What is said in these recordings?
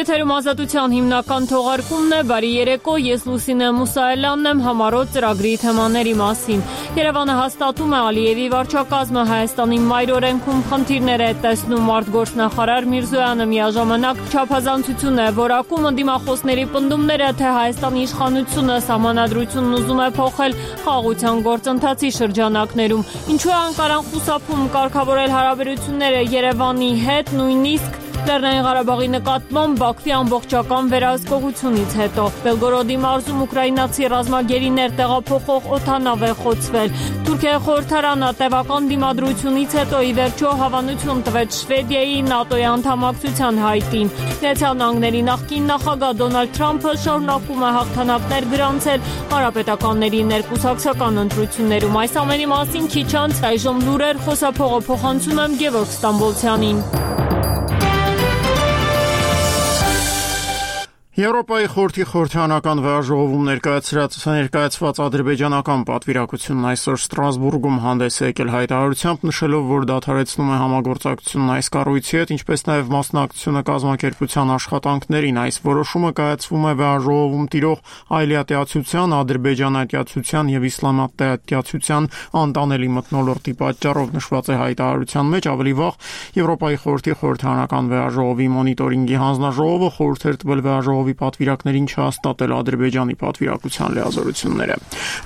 Եթերում ազատության հիմնական թողարկումն է, բարի երեկո, ես Լուսինե Մուսայելյանն եմ, համառոտ ծրագրի թեմաների մասին։ Երևանը հաստատում է Ալիևի վարչակազմը Հայաստանի մայրօրենքում խնդիրներ է տեսնում արտգործնախարար Միրզոյանը միաժամանակ չափազանցություն է որակում ընդդիմախոսների պնդումները, թե Հայաստանի իշխանությունը սահմանադրությունն ուզում է փոխել խաղաղության գործընթացի շրջանակներում։ Ինչու է Անկարան խուսափում կարգավորել հարաբերությունները Երևանի հետ, նույնիսկ Լեռնային Ղարաբաղի նկատմամբ Բաքվի ամբողջական վերահսկողությունից հետո։ Բելգորոդի մարզում ուկրաինացի ռազմագերիներ տեղափոխող օդանավ է խոցվել։ Թուրքիայի խորհրդարանը տևական դիմադրությունից հետո ի վերջո հավանություն տվեց Շվեդիայի ՆԱՏՕ-ի անդամակցության հայտին։ Միացյալ Նահանգների նախկին նախագահ Դոնալդ Թրամփը շարունակում է հաղթանակներ գրանցել հանրապետականների ներկուսակցական ընտրություններում։ Այս ամենի մասին քիչ անց այժմ լուրեր խոսափողը փոխանցում եմ Գևորգ Ստամբոլցյանին։ Եվրոպայի խորհրդի խորհրդարանական վեաժողովում ներկայացված ադրբեջանական պատվիրակությունն այսօր Ստրասբուրգում հանդես է եկել հայտարարությամբ, նշելով, որ դադարեցնում է համագործակցությունն այս կառույցի հետ, ինչպես նաև մասնակցությունը կազմակերպության աշխատանքներին։ Այս որոշումը կայացվում է վեաժողովում տիրող այլատիացության, ադրբեջանատիացության եւ իսլամատիացության անտանելի մթնոլորտի պատճառով, նշված է հայտարարության մեջ։ Ավելի վաղ Եվրոպայի խորհրդի խորհրդարանական վեաժողովի մոնիտորինգի հանձնաժողովը խորհուրդ էր տվել վեաժողովի պատվիրակներին չհաստատել Ադրբեջանի պատվիրակության լիազորությունները։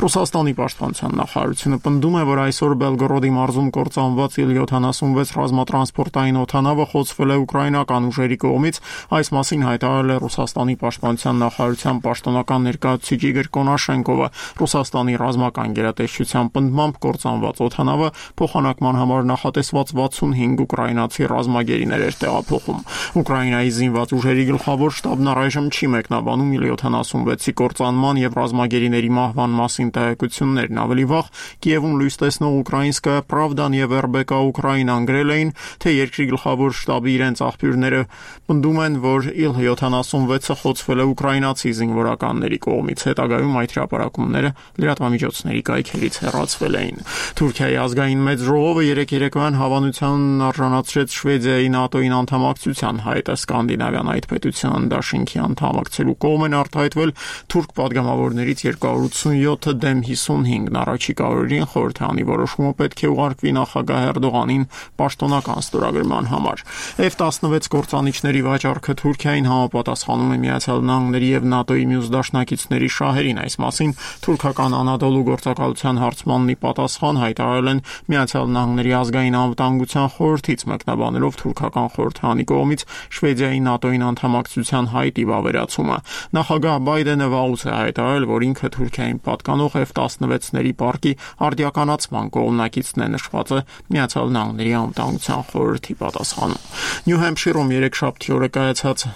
Ռուսաստանի պաշտպանության նախարարությունը պնդում է, որ այսօր Բելգորոդի մարզում կործանված Il-76 ռազմատրանսպորտային օդանավը խոցվել է ուկրաինական ուժերի կողմից։ Այս մասին հայտարարել է Ռուսաստանի պաշտպանության նախարարության պաշտոնական ներկայացուցիչ Իգոր Կոնաշենկովը։ Ռուսաստանի ռազմական գերատեսչության պնդմամբ կործանված օդանավը փոխանակման համար նախատեսված 65 ուկրաինացի ռազմագերիներ էր տեղափոխում։ Ուկրաինայի զինված ուժերի գլխավոր շտաբն առայժմ չի մեկնաբանում Il-76-ի կործանման եւ ռազմագերիների մահվան մասին տեղեկություններն։ Ավելի վաղ Կիևում լույս տեսնող Ուկրաինսկայա Պրավդան եւ RBK Ուկրաինան գրել էին, թե երկրի գլխավոր շտաբի իրենց աղբյուրները պնդում են, որ Il-76-ը խոցվել է ուկրաինացի զինվորականների կողմից։ Հետագայում այդ հրապարակումները լրատվամիջոցների կայքերից հեռացվել էին։ Թուրքիայի ազգային մեծ ժողովը երեկոյան հավանության արժանացրեց Շվեդիայի ՆԱՏՕ-ին անդամակցության հայտը։ Սկանդինավյան այդ պետության դաշինքի անդամակցելու կողմ են արտահայտվել թուրք падգամավորներից 287 դեմ 55-ն։ Առաջիկա օրերին խորհրդարանի որոշումը պետք է ուղարկվի նախագահ Էրդողանին պաշտոնական ստորագրման համար։ F-16 կործանիչների վաճառքը Թուրքիային համապատասխանում է Միացյալ Նահանգների եւ ՆԱՏՕ-ի մյուս դաշնակիցների շահերին։ Այս մասին թուրքական Անադոլու գործակալության հարցմաննի պատասխան հայտարարել են Միացյալ Նահանգների ազգային անվտանգության խորհրդից, մեկնաբանելով թուրքական խորհրդարանի կողմից Շվեդիայի ՆԱՏՕ-ին անդամակցության հայտի վավերացումը։ Նախագահ Բայդենը վաղուց է հայտարարել, որ ինքը Թուրքիային պատկանող F-16-ների պարկի արդիականացման կողմնակիցն է, նշված է Միացյալ Նահանգների անվտանգության խորհրդի պատասխանում։ Նյու Հեմփշիրում երեքշաբթի օրը կայացած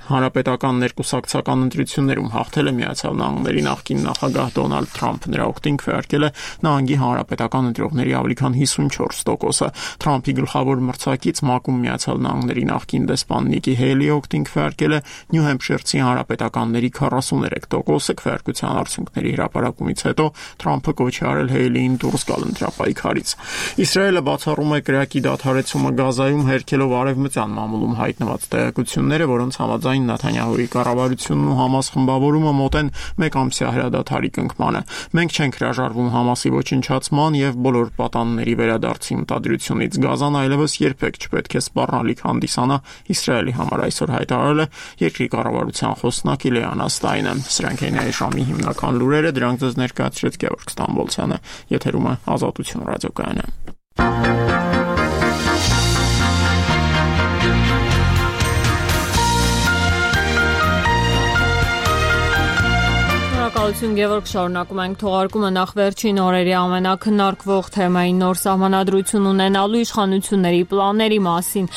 հանրապետական ներկուսակցական ընտրություններում հաղթել է Միացյալ Նահանգների նախկին նախագահ Դոնալդ Թրամփը։ Նրա օգտին քվեարկել է նահանգի հանրապետական ընտրողների ավելի քան 54%-ը։ Թրամփի գլխավոր մրցակից ՄԱԿ-ում Միացյալ Նահանգների նախկին դեսպան Նիկի Հեյլիի օգտին քվեարկել է Նյու Հեմփշիրցի հանրապետականների 43%-ը։ Քվեարկության արդյունքների հրապարակումից հետո Թրամփը կոչ է արել Հեյլիին դուրս գալ ընտրապայքարից։ Իսրայելը բացառում է կրակի դադարեցումը Գազայում, հերքելով արևմտյան մամուլում հայտնված տեղեկությունները, որոնց համաձայն Նեթանյահուի կառավարությունն ու Համաս խմբավորումը մոտ են մեկ ամսյա հրադադարի կնքմանը։ Մենք չենք հրաժարվում Համասի ոչնչացման եւ բոլոր պատանների վերադարձի մտադրությունից։ Գազան այլևս երբեք չպետք է սպառնալիք հանդիսանա Իսրայելի համար, այսօր հայտարարել է երկրի կառավարության խոսնակ Իլեանա Ստայնը։ Սրանք են այս ժամի հիմնական լուրերը, դրանք ձեզ ներկայացրեց Գևորգ Ստամբոլցյանը։ Եթերում է Ազատություն ռադիոկայանը։ Շնորհակալություն Գևորգ, շարունակում ենք թողարկումը նախ վերջին օրերի ամենակնարկվող թեմայի նոր սահմանադրություն ունենալու իշխանությունների պլանների մասին։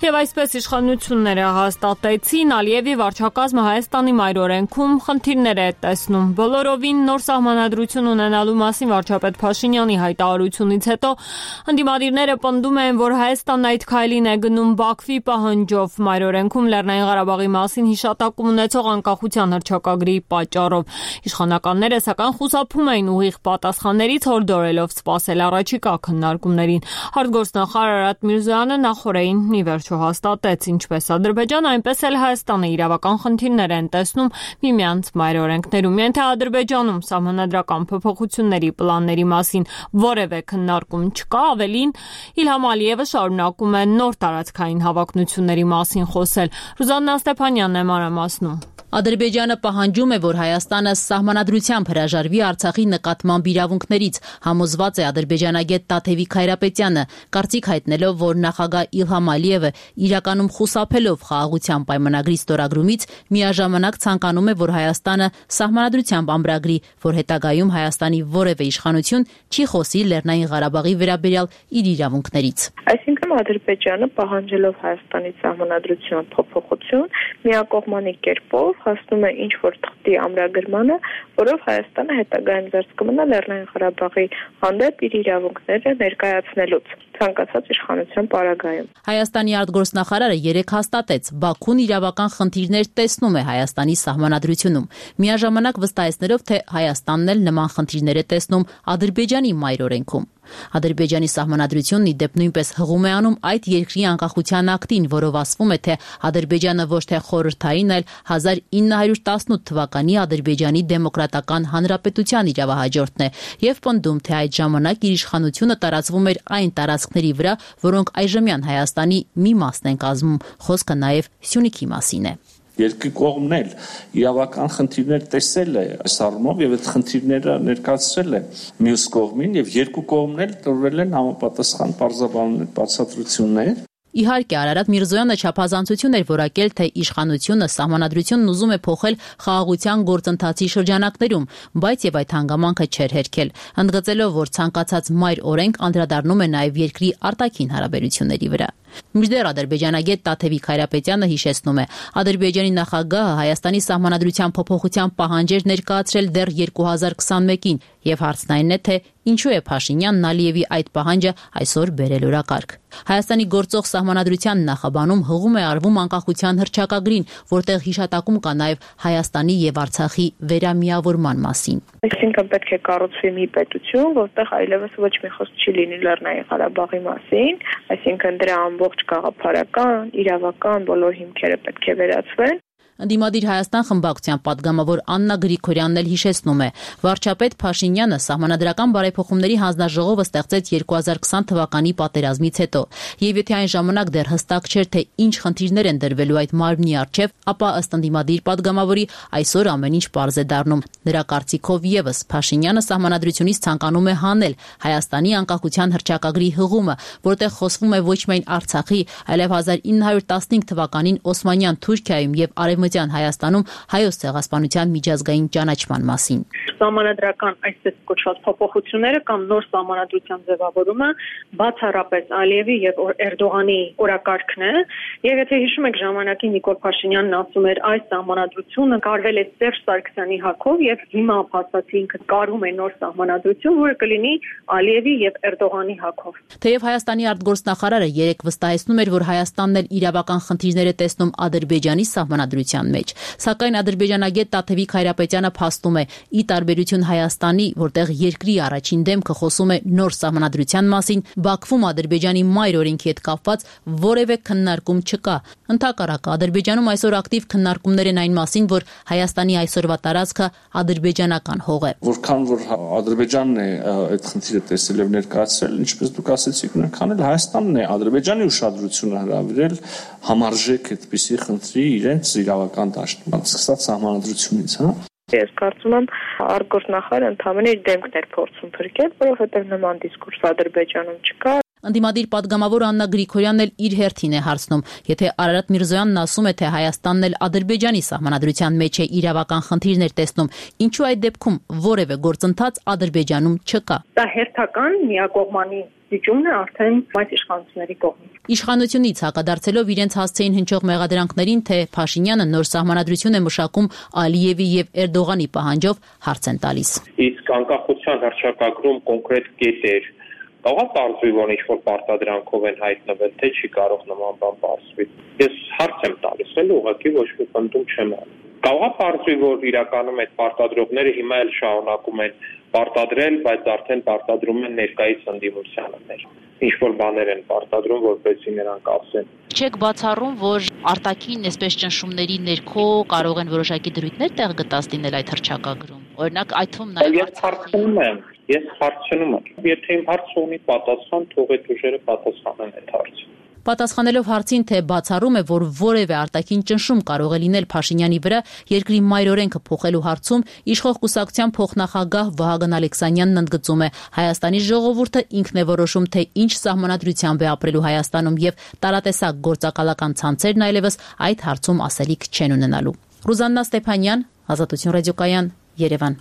Եվ այսպես իշխանությունները հաստատեցին Ալիևի վարչակազմը Հայաստանի մայրօրենքում խնդիրներ է տեսնում։ Բոլորովին նոր սահմանադրություն ունենալու մասին վարչապետ Փաշինյանի հայտարարությունից հետո ընդդիմադիրները պնդում են, որ Հայաստանն այդ քայլին է գնում Բաքվի պահանջով մայրօրենքում Լեռնային Ղարաբաղի մասին հիշատակում ունեցող անկախության հռչակագրի պատճառով։ ադրբեջանականները սակայն խուսափում էին ուղիղ պատասխաններից, հորդորելով սպասել առաջիկա քննարկումներին։ Արտգործնախարար Արարատ Միրզոյանը նախօրեին ի վերջո հաստատեց, ինչպես Ադրբեջանը, այնպես էլ Հայաստանը իրավական խնդիրներ են տեսնում միմյանց մայր օրենքներում։ Միայն թե Ադրբեջանում սահմանադրական փոփոխությունների պլանների մասին որևէ քննարկում չկա, ավելին Իլհամ Ալիևը շարունակում է նոր տարածքային հավակնությունների մասին խոսել։ Ռուզաննա Ստեփանյանն է մանրամասնում։ Ադրբեջանը պահանջում է, որ Հայաստանը սահմանադրությամբ հրաժարվի Արցախի նկատմամբ իրավունքներից, համոզված է ադրբեջանագետ Տաթևիկ Հայրապետյանը, կարծիք հայտնելով, որ նախագահ Իլհամ Ալիևը իրականում խուսափելով խաղաղության պայմանագրի ստորագրումից միաժամանակ ցանկանում է, որ Հայաստանը սահմանադրությամբ ամրագրի, որ հետագայում Հայաստանի որևէ իշխանություն չի խոսի Լեռնային Ղարաբաղի վերաբերյալ իր իրավունքներից։ Այսինքն Ադրբեջանը պահանջելով Հայաստանի սահմանադրության փոփոխություն միակողմանի կերպով հասնում է ինչ-որ թղթի ամրագրմանը, որով Հայաստանը հետագայում զերծ կմնա Լեռնային Ղարաբաղի հանդեպ իր իրավունքները ներկայացնելուց ցանկացած իշխանության պարագայում։ Հայաստանի արտգործնախարարը երեկ հաստատեց, Բաքուն իրավական խնդիրներ տեսնում է Հայաստանի սահմանադրությունում, միաժամանակ վստահեցնելով, թե Հայաստանն էլ նման խնդիրներ է տեսնում Ադրբեջանի մայր օրենքում։ Ադրբեջանի սահմանադրությունն ի դեպ նույնպես հղում է անում այդ երկրի անկախության ակտին, որով ասվում է, թե Ադրբեջանը ոչ թե խորհրդային, այլ 1918 թվականի Ադրբեջանի դեմոկրատական հանրապետության իրավահաջորդն է եւ պնդում, թե այդ ժամանակ իր իշխանությունը տարածվում էր այն տարածքների վրա, որոնք այժմյան Հայաստանի մի մասն են կազմում։ Խոսքը նաեւ Սյունիքի մասին է։ Երկու կողմն էլ իրավական խնդիրներ տեսել է այս առումով եւ այդ խնդիրները ներկայացրել է մյուս կողմին եւ երկու կողմն էլ տրվել են համապատասխան պարզաբանումներ, բացատրություններ։ Իհարկե, Արարատ Միրզոյանը չափազանցություն էր որակել, թե իշխանությունը սահմանադրությունն ուզում է փոխել խաղաղության գործընթացի շրջանակներում, բայց եւ այդ հանգամանքը չէր հերքել, ընդգծելով, որ ցանկացած մայր օրենք անդրադառնում է նաեւ երկրի արտաքին հարաբերությունների վրա։ Մինչդեռ ադրբեջանագետ Տաթևիկ Հայրապետյանը հիշեցնում է, Ադրբեջանի նախագահը Հայաստանի սահմանադրության փոփոխության պահանջեր ներկայացրել դեռ 2021-ին եւ հարցն այն է, թե ինչու է Փաշինյանն Ալիևի այդ պահանջը այսօր բերել օրակարգ։ Հայաստանի գործող սահմանադրության նախաբանում հղում է արվում անկախության հռչակագրին, որտեղ հիշատակում կա նաեւ Հայաստանի եւ Արցախի վերամիավորման մասին։ Այսինքն պետք է կառուցվի մի պետություն, որտեղ այլևս ոչ մի խոսք չի լինի Լեռնային Ղարաբաղի մասին, այսինքն դրա ամբողջ գաղափարական, իրավական բոլոր հիմքերը պետք է վերացվեն։ Ընդդիմադիր Հայաստան խմբակցության падգամավոր Աննա Գրիգորյանն էլ հիշեցնում է, վարչապետ Փաշինյանը սահմանադրական բարեփոխումների հանձնաժողովը ստեղծեց 2020 թվականի պատերազմից հետո, եւ եթե այն ժամանակ դեռ հստակ չէր, թե ինչ խնդիրներ են դրվելու այդ մարմնի առջև, ապա ըստ ընդդիմադիր падգամավորի այսօր ամեն ինչ պարզ է դառնում։ Նրա կարծիքով եւս Փաշինյանը սահմանադրությունից ցանկանում է հանել Հայաստանի անկախության հռչակագրի հղումը, որտեղ խոսվում է ոչ միայն Արցախի, այլև 1915 թվականին Օսմանյան Թուրքիայում եւ Արևմտյան Հայաստանում հայոց ցեղասպանության միջազգային ճանաչման մասին։ Սահմանադրական այսպես կոչված փոփոխությունները կամ նոր սահմանադրության ձևավորումը բացառապես Ալիևի եւ Էրդողանի օրակարգն է, եւ եթե հիշում եք ժամանակի Նիկոլ Փաշինյանն ասում էր այս սահմանադրությունը կարվել է Սերժ Սարգսյանի հագով եւ հիմա փաստացի ինքը կարում է նոր սահմանադրություն, որը կլինի Ալիևի եւ Էրդողանի հագով։ Թեև Հայաստանի արտգործնախարարը երեկ վստահեցնում էր, որ Հայաստանն էլ իրավական խնդիրներ է տեսնում Ադրբեջանի սահմանադրության մեջ, սակայն ադրբեջանագետ Տաթևիկ Հայրապետյանը փաստում է, ի տարբերություն Հայաստանի, որտեղ երկրի առաջին դեմքը խոսում է նոր սահմանադրության մասին, Բաքվում Ադրբեջանի մայր օրենքի հետ կապված որևէ քննարկում չկա։ Ընդհակառակը, Ադրբեջանում այսօր ակտիվ քննարկումներ են այն մասին, որ Հայաստանի այսօրվա տարածքը ադրբեջանական հող է։ Որքան որ Ադրբեջանն է այդ խնդիրը տեսել եւ ներկայացրել, ինչպես դուք ասեցիք, նույնքան էլ Հայաստանն է Ադրբեջանի ուշադրությունը հրավիրել համարժեք այդպիսի խնդրի իրենց իրավական դաշտում, սկսած սահմանադրությունից, հա։ Ես կարծում եմ արտգործնախարարը ընդհանրապես իր դեմքն էր փորձում փրկել, որովհետև նման դիսկուրս Ադրբեջանում չկա։ Ընդդիմադիր падգամավոր Աննա Գրիգորյանն էլ իր հերթին է հարցնում, եթե Արարատ Միրզոյանն ասում է, թե Հայաստանն էլ Ադրբեջանի սահմանադրության մեջ է իրավական խնդիրներ տեսնում, ինչու այդ դեպքում որևէ գործընթաց Ադրբեջանում չկա։ Դա հերթական միակողմանի դիճումն է արդեն այս իշխանությունների կողմից։ Իշխանությունից հակադարձելով իրենց հասցեին հնչող մեղադրանքներին, թե Փաշինյանը նոր սահմանադրություն է մշակում Ալիևի եւ Էրդողանի պահանջով, հարց են տալիս։ Իսկ անկախության հռչակագրում կոնկրետ կետեր կարող է պարզվի, որ ինչ-որ պարտադրանքով են հայտնվել, թե չի կարող նման բան պարզվի։ Ես հարց եմ տալիս, էլ ուղղակի ոչ մի պնդում չեմ անում։ Կարող է պարզվի, որ իրականում այդ պարտադրողները հիմա էլ շարունակում են պարտադրել, բայց արդեն պարտադրում են ներկայիս ընդդիմությանը ինչ որ բաներ են պարտադրում, որպեսզի նրանք ասեն։ Չեք բացառում, որ արտաքին այսպես ճնշումների ներքո կարող են որոշակի դրույթներ տեղ գտած լինել այդ հռչակագրում։ Օրինակ, այդ թվում նաև Ես հարցնում եմ, եթե իմ հարցը ունի պատասխան, թող այդ ուժերը պատասխանեն այդ հարցին։ Պատասխանելով հարցին, թե բացառում է, որ որևէ արտաքին ճնշում կարող է լինել Փաշինյանի վրա, երկրի մայրօրենքը փոխելու հարցում իշխող կուսակցության փոխնախագահ Վահագն Ալեքսանյանն ընդգծում է. Հայաստանի ժողովուրդը ինքն է որոշում, թե ինչ սահմանադրությամբ է ապրելու Հայաստանում, եւ տարատեսակ գործակալական ցանցերն այլևս այդ հարցում ասելիք չեն ունենալու։ Ռուզաննա Ստեփանյան, Ազատություն ռադիոկայան, Երևան։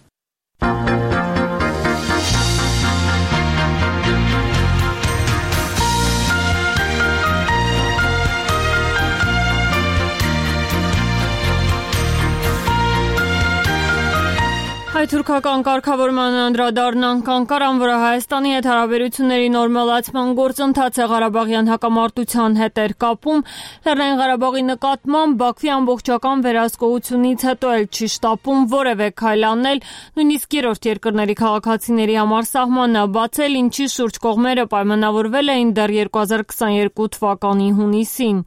Հայ-թուրքական կարգավորման անդրադառնանք Անկարան, որը Հայաստանի հետ հարաբերությունների նորմալացման գործընթաց է Ղարաբաղյան հակամարտության հետ էր կապում, Լեռնային Ղարաբաղի նկատմամբ Բաքվի ամբողջական վերահսկողությունից հետո էլ չի շտապում որևէ քայլ անել, նույնիսկ երրորդ երկրների քաղաքացիների համար սահմանը բացել, ինչի շուրջ կողմերը պայմանավորվել էին դեռ 2022 թվականի հունիսին։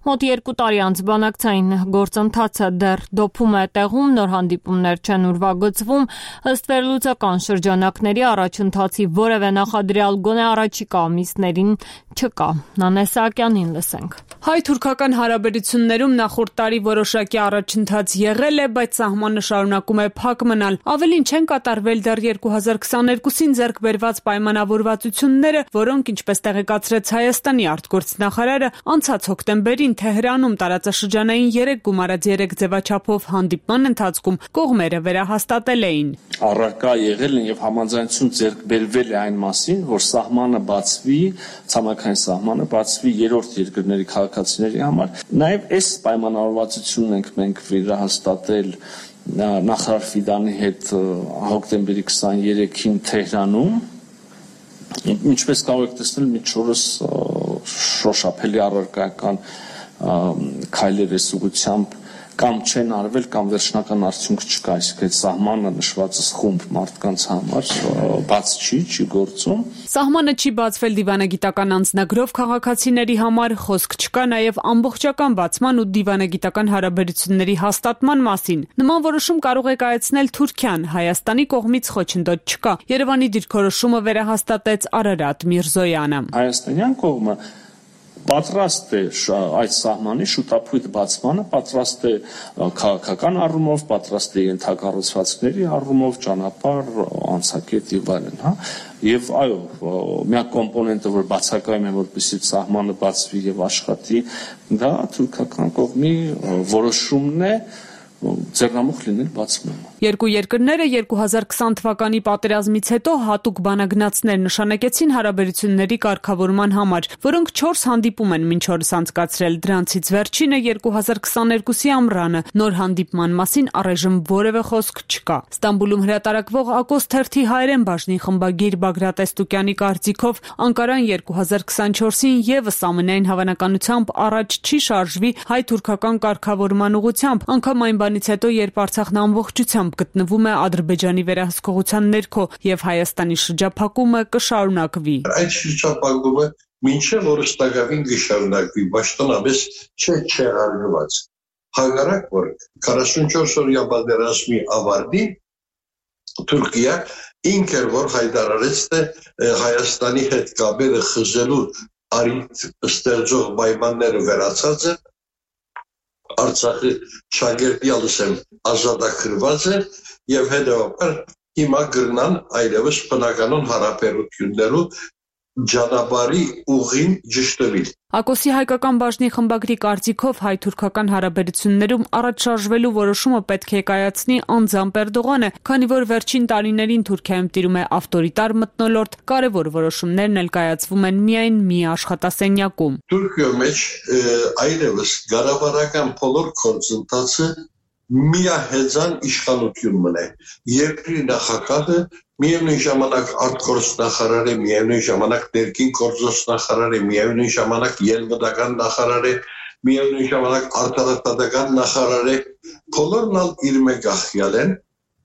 Մոտ 2 տարի անց բանակցային գործընթացը դեռ դոփում է տեղում, նոր հանդիպումներ չեն ուրվագծվում, ըստ վերլուծական շրջանակների առաջընթացի որևէ նախադրյալ գոնե առաջիկա ամիսներին չկա։ Նանե Սահակյանին լսենք։ Հայ-թուրքական հարաբերություններում նախորդ տարի որոշակի առաջընթաց եղել է, բայց սահմանը շարունակում է փակ մնալ։ Ավելին չեն կատարվել դեռ 2022-ին ձեռք բերված պայմանավորվածությունները, որոնք, ինչպես տեղեկացրեց Հայաստանի արտգործնախարարը, անցած հոկտեմբերին Թեհրանում տարածաշրջանային 3 գումարած 3 ձևաչափով հանդիպման ընթացքում կողմերը վերահաստատել էին։ Առարկա եղել են եւ համաձայնություն ձեռք բերվել է այն մասին, որ սահմանը բացվի, ցամաքային սահմանը բացվի երրորդ երկրների քաղաքացիների համար։ Նաեւ այս պայմանավորվածությունն ենք մենք վերահաստատել նախարար Ֆիդանի հետ հոկտեմբերի 23-ին Թեհրանում։ Ինչպես կարող եք տեսնել, մինչ օրս շոշափելի առարկայական քայլեր այս ուղղությամբ կամ չեն արվել, կամ վերջնական արդյունք չկա, այսինքն սահմանը նշվածս խումբ մարդկանց համար բաց չի գործում։ Սահմանը չի բացվել դիվանագիտական անձնագրով քաղաքացիների համար, խոսք չկա նաև ամբողջական բացման ու դիվանագիտական հարաբերությունների հաստատման մասին։ Նման որոշում կարող է կայացնել Թուրքիան, Հայաստանի կողմից խոչընդոտ չկա։ Երևանի դիրքորոշումը վերահաստատեց Արարատ Միրզոյանը։ Հայաստանյան կողմը պատրաստ է այդ սահմանի շուտապույտ բացմանը, պատրաստ է քաղաքական առումով, պատրաստ է ենթակառուցվածքների առումով, ճանապարհ, անցակետ եւ այլն, հա։ Եվ այո, միակ կոմպոնենտը, որ բացակայում է, որպեսզի սահմանը բացվի եւ աշխատի, դա թուրքական կողմի որոշումն է ձեռնամուխ լինել բացմանը։ Երկու երկրները 2020 թվականի պատերազմից հետո հատուկ բանագնացներ նշանակեցին հարաբերությունների կարգավորման համար, որոնք 4 հանդիպում են մինչ օրս անցկացրել։ Դրանցից վերջինը 2022-ի ամռանը, նոր հանդիպման մասին առայժմ որևէ խոսք չկա։ Ստամբուլում հրատարակվող Ակոս թերթի հայերեն բաժնի խմբագիր Բագրատ Էստուկյանի կարծիքով Անկարան 2024-ին եւս ամենայն հավանականությամբ առաջ չի շարժվի հայ-թուրքական կարգավորման ուղղությամբ, անգամ այն բանից հետո, երբ Արցախն ամբողջությամբ գտնվում է Ադրբեջանի վերահսկողության ներքո եւ Հայաստանի շրջափակումը կշարունակվի։ Այդ շրջափակումը մինչև որոշակի կշարունակվի, պաշտոնապես չէ արնված։ Հակառակ որ 44 օրյա պատերազմի ավարտին Թուրքիա ինքեր որ հայտարարեց թե Հայաստանի հետ կապերը խզելու արիտ ստեղծող պայմանները վերացած են, Արցախի շագերտյալս են ազատագրված են եւ հետեւաբար հիմա գրնան այլևս բնականon հարաբերություններու ճանապարհի ուղին ճշտվել։ Ակոսի հայկական բաժնի խմբագրի կարծիքով հայ-թուրքական հարաբերություններում առաջ շարժվելու որոշումը պետք է կայացնի անձամբ Էրդողանը, քանի որ վերջին տարիներին Թուրքիայում տիրում է ավտորիտար մթնոլորտ, կարևոր որոշումներն էլ կայացվում են միայն մի աշխատասենյակում։ Թուրքիայի մեջ այլևս ղարաբաղական բոլոր գործընթացը միահեծան իշխանություն մնա։ Երկրի նախագահը միևնույն ժամանակ արտգործնախարարը, միևնույն ժամանակ ներքին գործոստնախարարը, միևնույն ժամանակ ելմտական նախարարը միևնույն ժամանակ արտարատական նախարար է, բոլորն ալ իր մեկ ախյալ են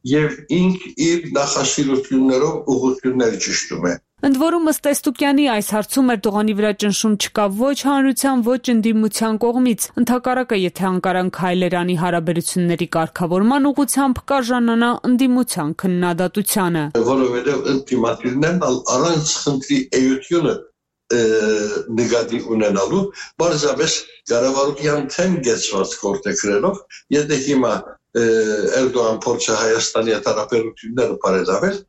եւ ինք իր նախասիրություններով ուղղություններ ճշտում է։ Ընդ որում ըստ Տեստուկյանի այս հարցում Էրդողանի վրա ճնշում չկա ոչ հանրության, ոչ ընդդիմության կողմից։ Ընդհակառակը, եթե Անկարան քայլեր անի հարաբերությունների կարգավորման ուղղությամբ, կարժանանա ընդդիմության քննադատությանը։ Որովհետեւ ընդդիմադիրներն առանց խնդրի էությունը նկատի ունենալու բարձրապես կառավարության թեմ գեցված կորտեքրելով, եթե հիմա Էրդողան փորձը Հայաստանի հարաբերությունները բարելավել,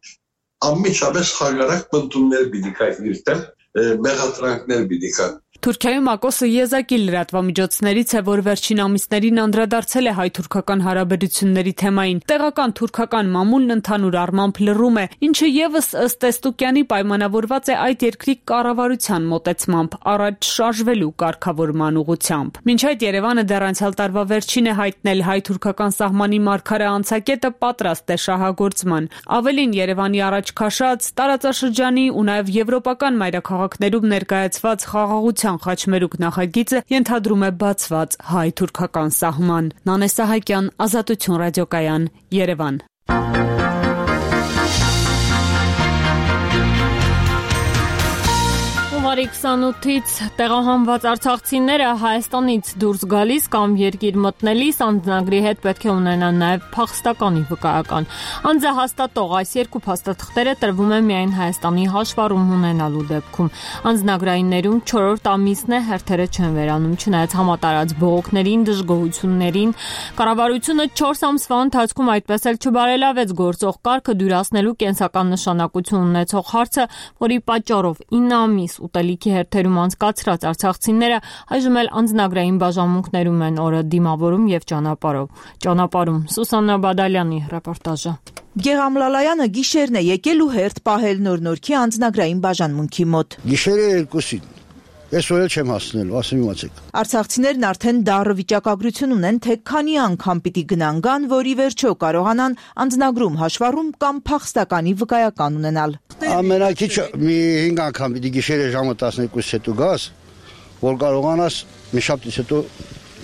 անմիջապես հագարակ բնդումներ պիտի կա իր դեմ, մեղադրանքներ պիտի կա։ Թուրքիայում ԱԿՕՍ-ը եզակի լրատվամիջոցներից է, որ վերջին ամիսներին անդրադարձել է հայ-թուրքական հարաբերությունների թեմային։ Տեղական թուրքական մամուլն ընդհանուր առմամբ լռում է, ինչը ևս ըստ Տեստուկյանի պայմանավորված է այդ երկրի կառավարության մոտեցմամբ առաջ շարժվելու կարգավորման ուղղությամբ։ Մինչ այդ Երևանը դեռ անցյալ տարվա վերջին է հայտնել հայ-թուրքական սահմանի մարգարե անցակետը պատրաստ է շահագործման։ Ավելին, Երևանի առաջ քաշած տարածաշրջանի ու նաև եվրոպական մայրաքաղաքներում ներկայացված խաղաղության խաչմերուկ նախագիծը ենթադրում է բացված հայ-թուրքական սահման։ Նանե Սահակյան, Ազատություն ռադիոկայան, Երևան։ Հունվարի 28-ից տեղահանված արցախցիները Հայաստանից դուրս գալիս կամ երկիր մտնելիս անձնագրի հետ պետք է ունենան նաև փախստականի վկայական։ Անձը հաստատող այս երկու փաստաթղթերը տրվում է միայն Հայաստանի հաշվառում ունենալու դեպքում։ Անձնագրայիններում 4-րդ ամիսն է, հերթերը չեն վերանում, չնայած համատարած բողոքներին, դժգոհություններին։ Կառավարությունը 4 ամսվա ընթացքում այդպես էլ չբարելավեց գործող կարգը դյուրացնելու կենսական նշանակություն ունեցող հարցը, որի պատճառով 9 ամիս ուտելիքի հերթերում անցկացրած արցախցիները այժմ էլ անձնագրային բաժանմունքներում են օրը դիմավորում եւ ճանապարհում։ Սուսաննա Բադալյանի ռեպորտաժը։ Գեգամ Լալայանը գիշերն է եկել ու հերթ պահել Նոր-Նորքի անձնագրային բաժանմունքի մոտ։ Գիշերը 2-ին։ Այսօր էլ չեմ հասնելու, ասեմ իմացեք։ Արցախցիներն արդեն դառը վիճակագրություն ունեն, թե քանի անգամ պիտի գնան, որ ի վերջո կարողանան անձնագրում հաշվառում կամ փախստականի վկայական ունենալ։ Ամենակիչը մի 5 անգամ պիտի գիշերը ժամը 12-ից հետո գաս, որ կարողանաս մի շաբթից հետո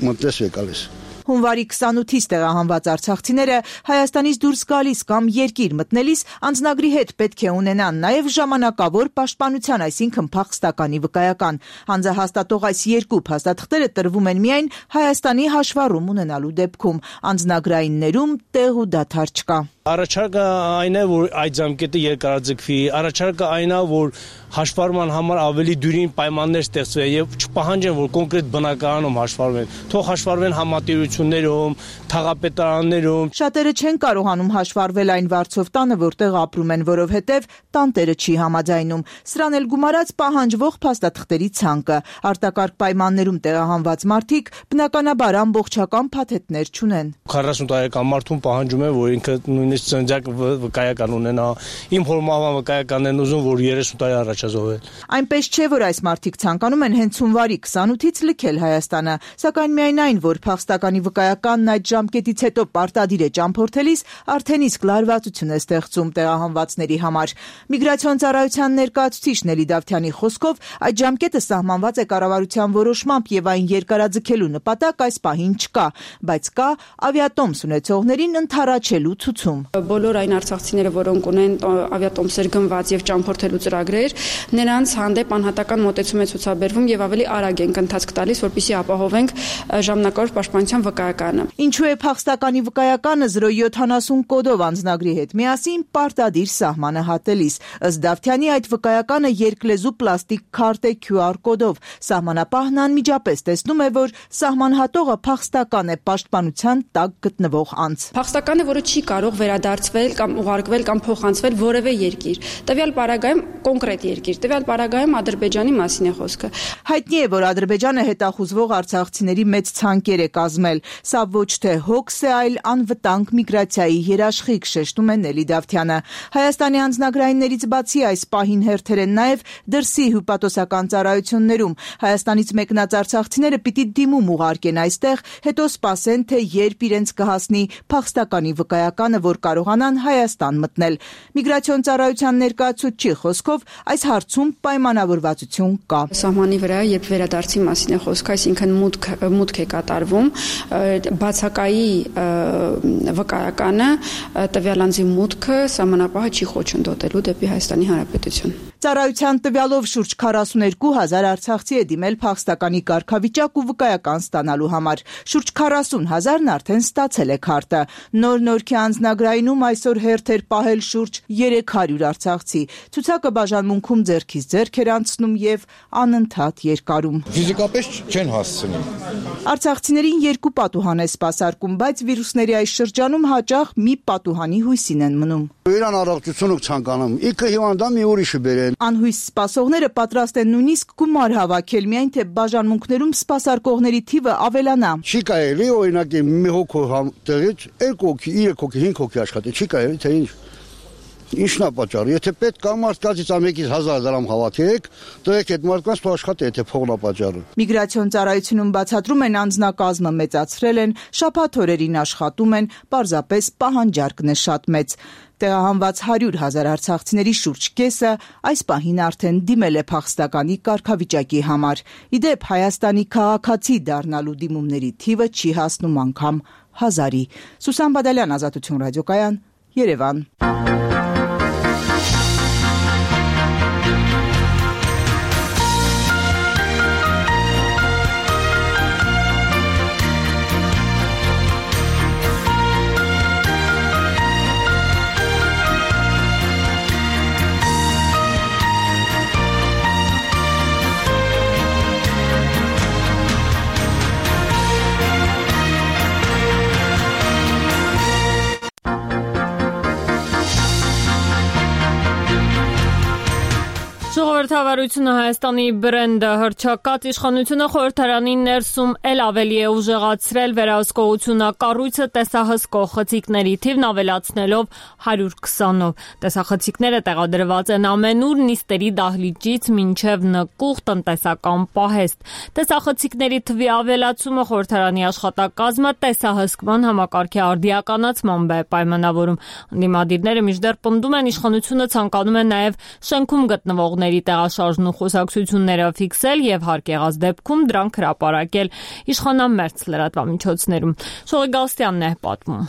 մտնես եկալես։ Հունվարի 28-ից տեղահանված արցախցիները Հայաստանից դուրս գալիս կամ երկիր մտնելիս անձնագրի հետ պետք է ունենան նաև ժամանակավոր պաշտպանության, այսինքն փախստականի վկայական։ Հանձնահաստատող այս երկու փաստաթղթերը տրվում են միայն Հայաստանի հաշվառում ունենալու դեպքում։ Անձնագրայիններում տեղ ու դադար չկա։ Առաջարկը այն է, որ այդ ժամկետը երկարաձգվի, առաջարկը այն է, որ հաշվառման համար ավելի դյուրին պայմաններ ստեղծվեն եւ չպահանջեն, որ կոնկրետ բնակարանում հաշվառվեն։ Թող հաշվառվեն համատիրություններում, թաղապետարաններում։ Շատերը չեն կարողանում հաշվառվել այն վարձով տանը, որտեղ ապրում են, որովհետեւ տանտերը չի համաձայնում։ Սրան էլ գումարած պահանջվող փաստաթղթերի ցանկը։ Արտակարգ պայմաններում տեղահանված մարդիկ բնականաբար ամբողջական փաթեթներ չունեն։ 40 տարեկան մարդուն պահանջում են, որ ինքը նույնիսկ ծննդյակ վկայական ունենա։ Իմ հորմավան վկայականն են ուզում, որ 30 տարի առաջ ազովել։ Այնպես չէ, որ այս մարդիկ ցանկանում են հենց հունվարի 28-ից լքել Հայաստանը, սակայն միայն այն, որ փախստականի վկայականն այդ ժամկետից հետո պարտադիր է ճամփորդելիս, արդեն իսկ լարվածություն է ստեղծում տեղահանվածների համար։ Միգրացիոն ծառայության ներկայացուցիչ Նելի Դավթյանի խոսքով այդ ժամկետը սահմանված է կառավարության որոշմամբ եւ այն երկարաձգելու նպատակ այս պահին չկա, բայց կա ավիատոմս ունեցողներին ընդառաջելու ցուցում։ Բոլոր այն արցախցիները, որոնք ունեն ավիատոմսեր գնված եւ ճամփորդելու ծրագրեր, նրանց հանդեպ անհատական մոտեցում է ցուցաբերվում եւ ավելի արագ ենք ընթացք տալիս, որպեսզի ապահովենք ժամանակավոր պաշտպանության վկայականը։ Ինչու է փախստականի վկայականը 070 կոդով անձնագրի հետ միասին պարտադիր սահմանը հատելիս։ Ըստ Դավթյանի այդ վկայականը երկլեզու պլաստիկ քարտ է QR կոդով։ Սահմանապահն անմիջապես տեսնում է, որ սահմանհատողը փախստական է, պաշտպանության տակ գտնվող անձ։ Փախստականը, որը չի կարող վերադարձվել կամ ուղարկվել կամ փոխանցվել որևէ երկիր։ Տվյալ պարագայում կոնկրետ երկիր, տվյալ պարագայում Ադրբեջանի մասին է խոսքը։ Հայտնի է, որ Ադրբեջանը հետախուզվող արցախցիների մեծ ցանկեր է կազմել։ Սա ոչ թե հոգս է, այլ անվտանգ միգրացիայի երաշխիք, շեշտում է Նելի Դավթյանը։ Հայաստանի անձնագրայիններից բացի այս պահին հերթեր են նաև դրսի հյուպատոսական ծառայություններում։ Հայաստանից մեկնած արցախցիները պիտի դիմում ուղարկեն այստեղ, հետո սպասեն, թե երբ իրենց կհասնի փախստականի վկայականը, որ կարողանան Հայաստան մտնել։ Միգրացիոն ծառայության ներկայացուցչի խոսքով այս հարցում պայմանավորվածություն կա։ Սահմանի վրա, երբ վերադարձի մասին է խոսք, այսինքն մուտք է կատարվում, բացակայի վկայականը տվյալ անձի մուտքը սահմանապահը չի խոչընդոտելու դեպի Հայաստանի Հանրապետություն։ Ծառայության տվյալով շուրջ 42,000 արցախցի է դիմել փախստականի կարգավիճակ ու վկայական ստանալու համար։ Շուրջ 40,000-ն արդեն ստացել է քարտը։ Նոր-Նորքի անձնագրայինում այսօր հերթ էր պահել շուրջ 300 արցախցի։ Ցուցակը բաժանմունքում ձեռքից ձեռք էր անցնում եւ անընդհատ երկարում։ Ֆիզիկապես չեն հասցնի։ Արցախցիներին 2 պատուհան է սպասարկում, բայց վիրուսների այս շրջանում հաճախ մի պատուհանի հույսին են մնում։ Իրան առողջություն ցանկանում։ Իքը հիվանդա մի ուրիշը բերեն։ Անհույս սպասողները պատրաստ են նույնիսկ գումար հավաքել, միայն թե բաժանմունքներում սպասարկողների թիվը ավելանա։ Չի կարելի օրինակ մի հոգու տեղից 2 հոգի, 3 հոգի, 5 հոգի աշխատի, չի կարելի թե ինչ։ Ինչն է պատճառը։ Եթե պետք կա մարդկանցից ամենից 1000 դրամ հավաքեք, տվեք այդ մարդկանց թող աշխատի, եթե փողն է պատճառը։ Միգրացիոն ծառայությունում բացատրում են անձնակազմը մեծացրել են, շաբաթօրերին աշխատում են, պարզապես պահանջարկն է շատ մեծ։ Տեղահանված 100,000 արցախցիների շուրջ կեսը այս պահին արդեն դիմել է փախստականի կարգավիճակի համար։ Իդեպ Հայաստանի քաղաքացի դառնալու դիմումների թիվը չի հասնում անգամ 1000-ի։ Սուսան Բադալյան, Ազատություն ռադիոկայան, Երևան։ Ժողովրդավարությունը Հայաստանի բրենդը հռչակած իշխանությունը խորհրդարանի ներսում էլ ավելի է ուժեղացրել վերահսկողություննակառույցը տեսահսկող խցիկների թիվն ավելացնելով 120-ով։ Տեսախցիկները տեղադրված են ամենուր նիստերի դահլիճից մինչև նկուղ տնտեսական պահեստ։ Տեսախցիկների թվի ավելացումը խորհրդարանի աշխատակազմը տեսահսկման համակարգի արդիականացմամբ է պայմանավորում։ Ընդդիմադիրները մինչդեռ պնդում են իշխանությունը ցանկանում է նաև շենքում գտնվողների տեղաշարժն ու խոսակցությունները ֆիքսել եւ հարկ եղած դեպքում դրանք հրապարակել իշխանամերձ լրատվամիջոցներում։ Շողի Գալստյանն է պատմում։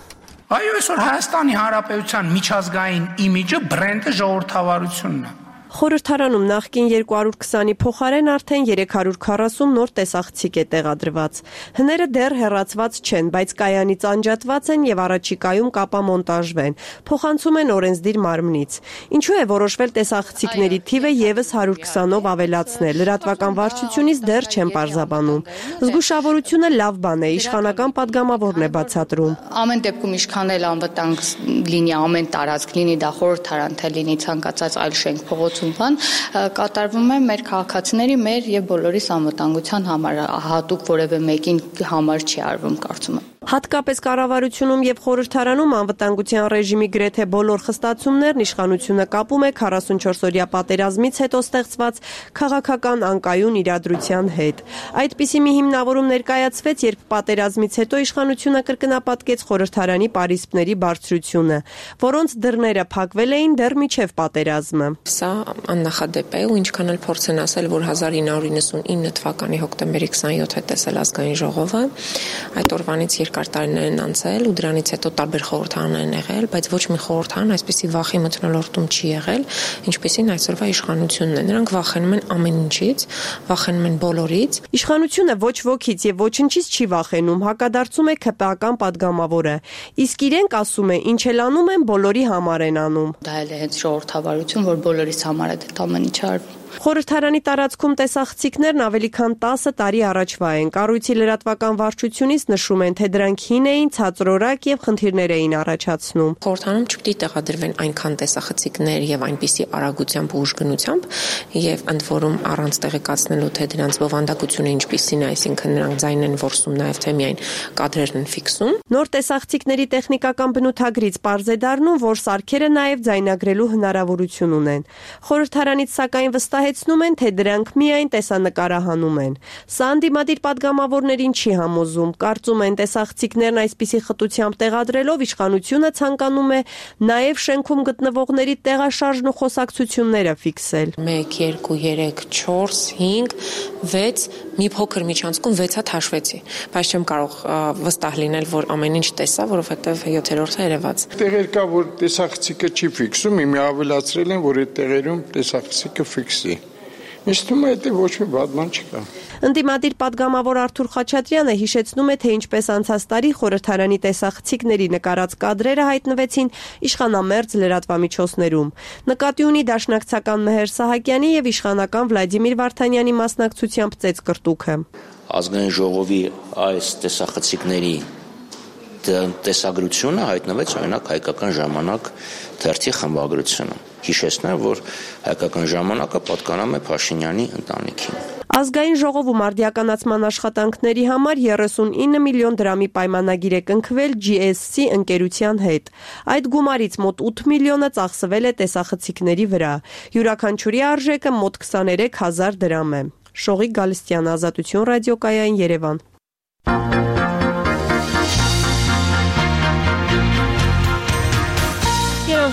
Այո, այսօր Հայաստանի Հանրապետության միջազգային իմիջը բրենդը ժողովրդավարությունն է։ Խորհրդարանում նախկին 220-ի փոխարեն արդեն 340 նոր տեսախցիկ է տեղադրված։ Հները դեռ հեռացված չեն, բայց կայանից անջատված են եւ առաջիկայում կապամոնտաժվեն։ Փոխանցում են օրենսդիր մարմնից։ Ինչու է որոշվել տեսախցիկների թիվը եւս 120-ով ավելացնել։ Լրատվական վարչությունից դեռ չեն պարզաբանում։ Զգուշավորությունը լավ բան է, իշխանական падգամավորն է բացատրում։ Ամեն դեպքում ինչքան էլ անվտանգ լինի, ամեն տարածք լինի, դա խորհրդարան թե լինի ցանկացած այլ շենք փողոց կատարվում է մեր քաղաքացիների, մեր եւ բոլորիս անվտանգության համար, հատուկ որևէ մեկին համար չի արվում, կարծում եմ։ Հատկապես կառավարությունում եւ խորհրդարանում անվտանգության ռեժիմի գրեթե բոլոր խստացումներն իշխանությունը կապում է 44-օրյա պատերազմից հետո ստեղծված քաղաքական անկայուն իրադրության հետ։ Այդպիսի մի հիմնավորում ներկայացվեց, երբ պատերազմից հետո իշխանությունը կրկնապատկեց խորհրդարանի պարիսպների բարձրությունը, որոնց դռները փակվել էին դեռ միջև պատերազմը։ Սա աննախադեպ է ու ինչքան էլ փորձ են ասել, որ 1999 թվականի հոկտեմբերի 27-ը տեսել ազգային ժողովը, այդ օրվանից երկար տարիներ են անցել ու դրանից հետո տարբեր խորհրդարաններ են եղել, բայց ոչ մի խորհրդարան այսպիսի վախի մթնոլորտում չի եղել, ինչպիսին այսօրվա իշխանությունն է։ Նրանք վախենում են ամեն ինչից, վախենում են բոլորից։ Իշխանությունը ոչ ոքից եւ ոչնչից չի վախենում, հակադարձում է ՔՊԱ-կան падգամավորը։ Իսկ իրենք ասում է, ինչ էլ անում են, բոլորի համար են անում։ Դա էլ է հենց ժողովրդավարություն, որ բոլորիս համար է դա ամեն ինչ արվում։ Խորհրդարանի տարածքում տեսախցիկներն ավելի քան 10 տարի առաջվա են։ Կառույցի լրատվական վարչությունից նշում են, թե դրանք հին էին, ցածրորակ եւ խնդիրներ էին առաջացնում։ Խորհրդարանում չպետք է տեղադրվեն այնքան տեսախցիկներ եւ այնպիսի արագությամբ ու ուժգնությամբ եւ ընդ որում առանց տեղեկացնելու, թե դրանց բովանդակությունը ինչպիսին է, այսինքն նրանք ձայն են որսում նաեւ թե միայն կադրերն են ֆիքսում։ Նոր տեսախցիկների տեխնիկական բնութագրից պարզ է դառնում, որ սարքերը նաեւ ձայնագրելու հնարավորություն ունեն։ Խորհրդարանից սակայն վստահ վստահեցնում են, թե դրանք միայն տեսանկարահանում են։ Սա ընդդիմադիր падգամավորներին չի համոզում։ Կարծում են, տեսախցիկներն այսպիսի խտությամբ տեղադրելով իշխանությունը ցանկանում է նաև շենքում գտնվողների տեղաշարժն ու խոսակցությունները ֆիքսել։ 1, 2, 3, 4, 5, 6 մի փոքր միջանցքում 6 հատ հաշվեցի, բայց չեմ կարող վստահ լինել, որ ամեն ինչ տեսա, որովհետև 7-րդը երևաց։ Տեղեր կա, որ տեսախցիկը չի ֆիքսում, իմի ավելացրել են, որ այդ տեղերում տեսախցիկը ֆիքսի։ Ինձ թվում է, թե ոչ մի բան չկա։ Ընդդիմադիր падգամավոր Արթուր Խաչատրյանը հիշեցնում է, թե ինչպես անցած տարի խորհրդարանի տեսախցիկների նկարած կադրերը հայտնվեցին իշխանամերձ լրատվամիջոցներում։ Նկատի ունի դաշնակցական Մեհեր Սահակյանի եւ իշխանական Վլադիմիր Վարդանյանի մասնակցությամբ ծեծկրտուքը։ Ազգային ժողովի այս տեսախցիկների տեսագրությունը հայտնվեց օրինակ Հայկական ժամանակ թերթի խմբագրությունում։ Հիշեցնեմ, որ Հայկական ժամանակը պատկանում է Փաշինյանի ընտանիքին։ Ազգային ժողովում արդիականացման աշխատանքների համար 39 միլիոն դրամի պայմանագիր է կնքվել GSC ընկերության հետ։ Այդ գումարից մոտ 8 միլիոնը ծախսվել է տեսախցիկների վրա։ Յուրաքանչյուրի արժեքը մոտ 23,000 դրամ է։ Շողիկ Գալստյան, Ազատություն ռադիոկայան, Երևան։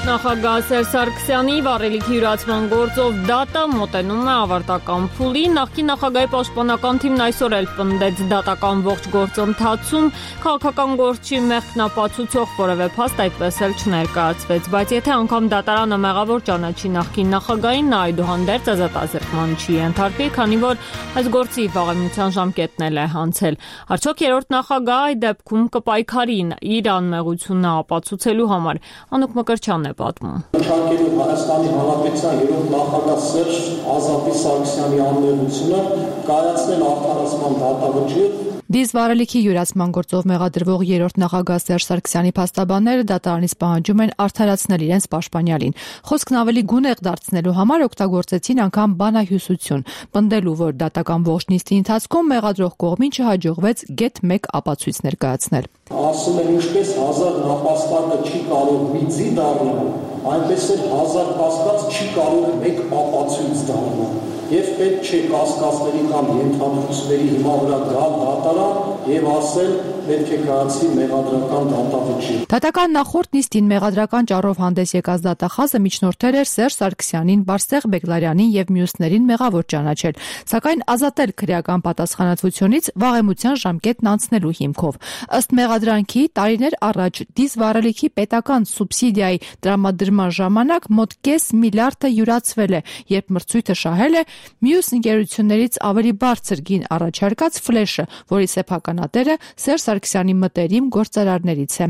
Նախագահ Սերժ Սարգսյանի վառելիքի յուրացման գործով դատը մոտենում է ավարտական փուլի։ Նախկին նախագահի պաշտպանական թիմն այսօր էլ պնդեց դատական ողջ գործընթացում քաղաքական գործի մեղքնապացուցող որևէ փաստ այդպես էլ չներկայացվեց, բայց եթե անգամ դատարանը մեղավոր ճանաչի նախկին նախագահին, նա այդուհանդերձ ազատազրկման չի ենթարկվի, քանի որ այս գործի վաղեմիության ժամկետն էլ է հանցել։ Արդյոք երրորդ նախագահը այդ դեպքում կպայքարի իր անմեղությունը ապացուցելու համար։ Անուկ Մկրտչյանն է պատմում։ Ընդհանրելով Հայաստանի Հանրապետության երրորդ նախագահ Սերժ Ազատի Սարգսյանի անմեղությունը կայացնել արդարացման դատավճիռ։ Դիզ վառելիքի յուրացման գործով մեղադրվող երրորդ նախագահ Սերժ Սարգսյանի փաստաբանները դատարանից պահանջում են արդարացնել իրենց պաշտպանյալին։ Խոսքն ավելի գունեղ դարձնելու համար օգտագործեցին անգամ բանահյուսություն, պնդելու, որ դատական ողջ նիստի ընթացքում մեղադրող կողմին չհաջողվեց գեթ 1 ապացույց ներկայացնել։ Ասում են, ինչպես 1000 նապաստակը չի կարող մի ձի դառնալ, այնպես էլ 1000 կասկած չի կարող մեկ ապացույց դառնալ։ Եվ պետք չէ կասկածների կամ ենթադրությունների հիման վրա գալ դատարան եւ ասել պետք է կայացվի մեղադրական դատավճիռ։ Դատական նախորդ նիստին մեղադրական ճառով հանդես եկած դատախազը միջնորդել էր Սերժ Սարգսյանին, Բարսեղ Բեգլարյանին եւ մյուսներին մեղավոր ճանաչել, սակայն ազատել քրեական պատասխանատվությունից վաղեմության ժամկետն անցնելու հիմքով։ Ըստ մեղադրանքի տարիներ առաջ դիզ վառելիքի պետական սուբսիդիայի տրամադրման ժամանակ մոտ կես միլիարդը յուրացվել է, երբ մրցույթը շահել է մյուս ընկերություններից ավելի բարձր գին առաջարկած ֆլեշը, որի սեփականատերը Սերժ Սարգսյանի մտերիմ գործարարներից է։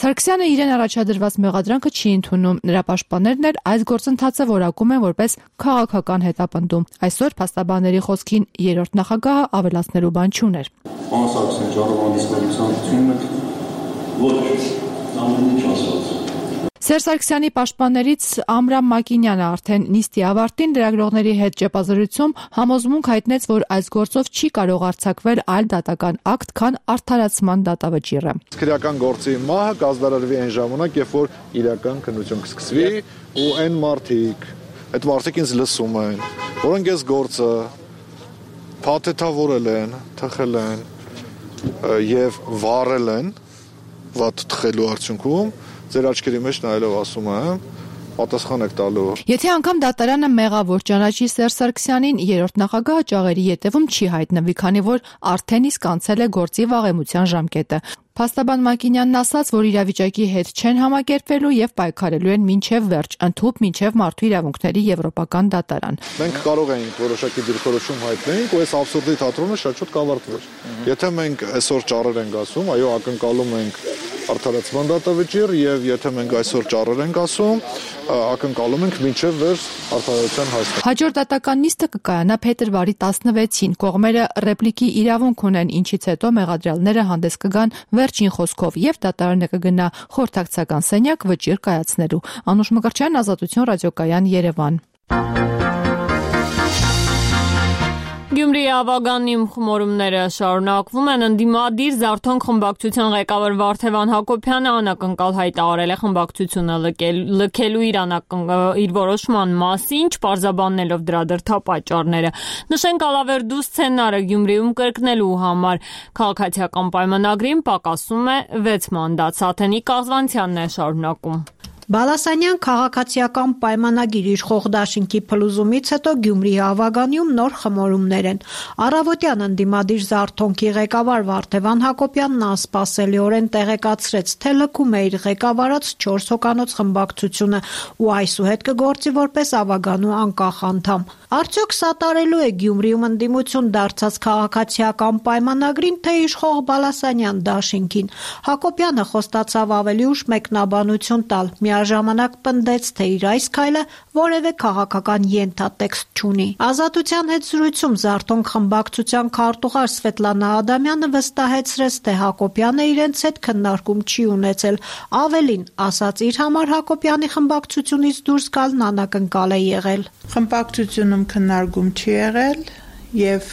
Սարգսյանը իրեն առաջադրված մեղադրանքը չի ընդունում, նրա պաշտպաններն էլ այս գործընթացը որակում են որպես քաղաքական հետապնդում։ Այսօր փաստաբանների խոսքին երրորդ նախագահը ավելացնելու բան չուներ։ Պարոն Սարգսյան, ժառանգության ոչ ամեն ինչ ասած։ Սերժ Սարգսյանի պաշտպաններից Ամրամ Մակինյանը արդեն նիստի ավարտին լրագրողների հետ ճեպազրույցում համոզմունք հայտնեց, որ այս գործով չի կարող արձակվել այլ դատական ակտ, քան արդարացման դատավճիռը։ Քրեական գործի մահը կազդարարվի այն ժամանակ, երբ որ իրական քննություն կսկսվի ու այն մարդիկ, այդ մարդիկ ինձ լսում են, որոնք այս գործը փաթեթավորել են, թխել են եւ վառել են վատ թխելու արդյունքում ձեր աչքերի մեջ նայելով ասում եմ, պատասխան եք տալու։ Եթե անգամ դատարանը մեղավոր ճանաչի Սերժ Սարգսյանին, երրորդ նախագահը ճաղերի ետևում չի հայտնվի, քանի որ արդեն իսկ անցել է գործի վաղեմության ժամկետը։ Փաստաբան Մակինյանն ասաց, որ իրավիճակի հետ չեն համակերպվելու եւ պայքարելու են մինչեւ վերջ, ընդհուպ մինչեւ մարդու իրավունքների եվրոպական դատարան։ Մենք կարող ենք որոշակի դիրքորոշում հայտնենք, ու այս абսուրդի թատրոնը շատ շուտ կավարտվեր։ Եթե մենք այսօր ճառեր ենք ասում, այո, ակնկալում ենք արդարացման դատավճիռ, եւ եթե մենք այսօր ճառեր ենք ասում, ակնկալում ենք մինչեւ վերջ արդարացան հասնել։ Հաջորդ դատական նիստը կկայանա փետրվարի 16-ին։ Կողմերը ռեպլիկի իրավունք ունեն, ինչից հետո մեղադրյալները հանդես կգան վերջին խոսքով եւ դատարանը կգնա խորհրդակցական սենյակ վճիռ կայացնելու։ Անուշ Մկրտչյան, Ազատություն ռադիոկայան, Երևան։ Գյումրիի Ավագանիում խմորումները շարունակվում են։ Ընդդիմադիր Զարթոնք խմբակցության ղեկավար Վարդևան Հակոբյանը անակնկալ հայտարարել է խմբակցությունը լքելու իր որոշման մասին, չպարզաբանելով դրա դրդապատճառները։ Նշենք, Ալավերդու սցենարը Գյումրիում կրկնելու համար քաղաքացիական պայմանագրին պակասում է 6 մանդատ։ Սաթենիկ Աղզվանցյանն է շարունակում։ Բալասանյան քաղաքացիական պայմանագիր իշխող դաշինքի փլուզումից հետո Գյումրիի Ավագանիում նոր խմորումներ են։ Առավոտյան ընդդիմադիր Զարթոնքի ղեկավար Վարդևան Հակոբյանն անսպասելիորեն տեղեկացրեց, թե լքում է իր ղեկավարած 4 հոկանոց խմբակցությունը ու այսուհետ կգործի որպես Ավագանու անկախ անդամ։ Արդյոք սատարելու է Գյումրիում ընդդիմություն դարձած քաղաքացիական պայմանագրին, թե իշխող Բալասանյան դաշինքին։ Հակոբյանը խոստացավ ավելի ուշ մեկնաբանություն տալ, միաժամանակ պնդեց, թե իր այս քայլը որևէ քաղաքական ենթատեքստ չունի։ Ազատության հետ զրույցում Զարթոնք խմբակցության քարտուղար Սվետլանա Ադամյանը վստահեցրեց, թե Հակոբյանը իրենց հետ քննարկում չի ունեցել։ Ավելին, ասաց, իր համար Հակոբյանի խմբակցությունից դուրս գալն անակնկալ է եղել։ Խմբակցությունում քննարկում չի եղել եւ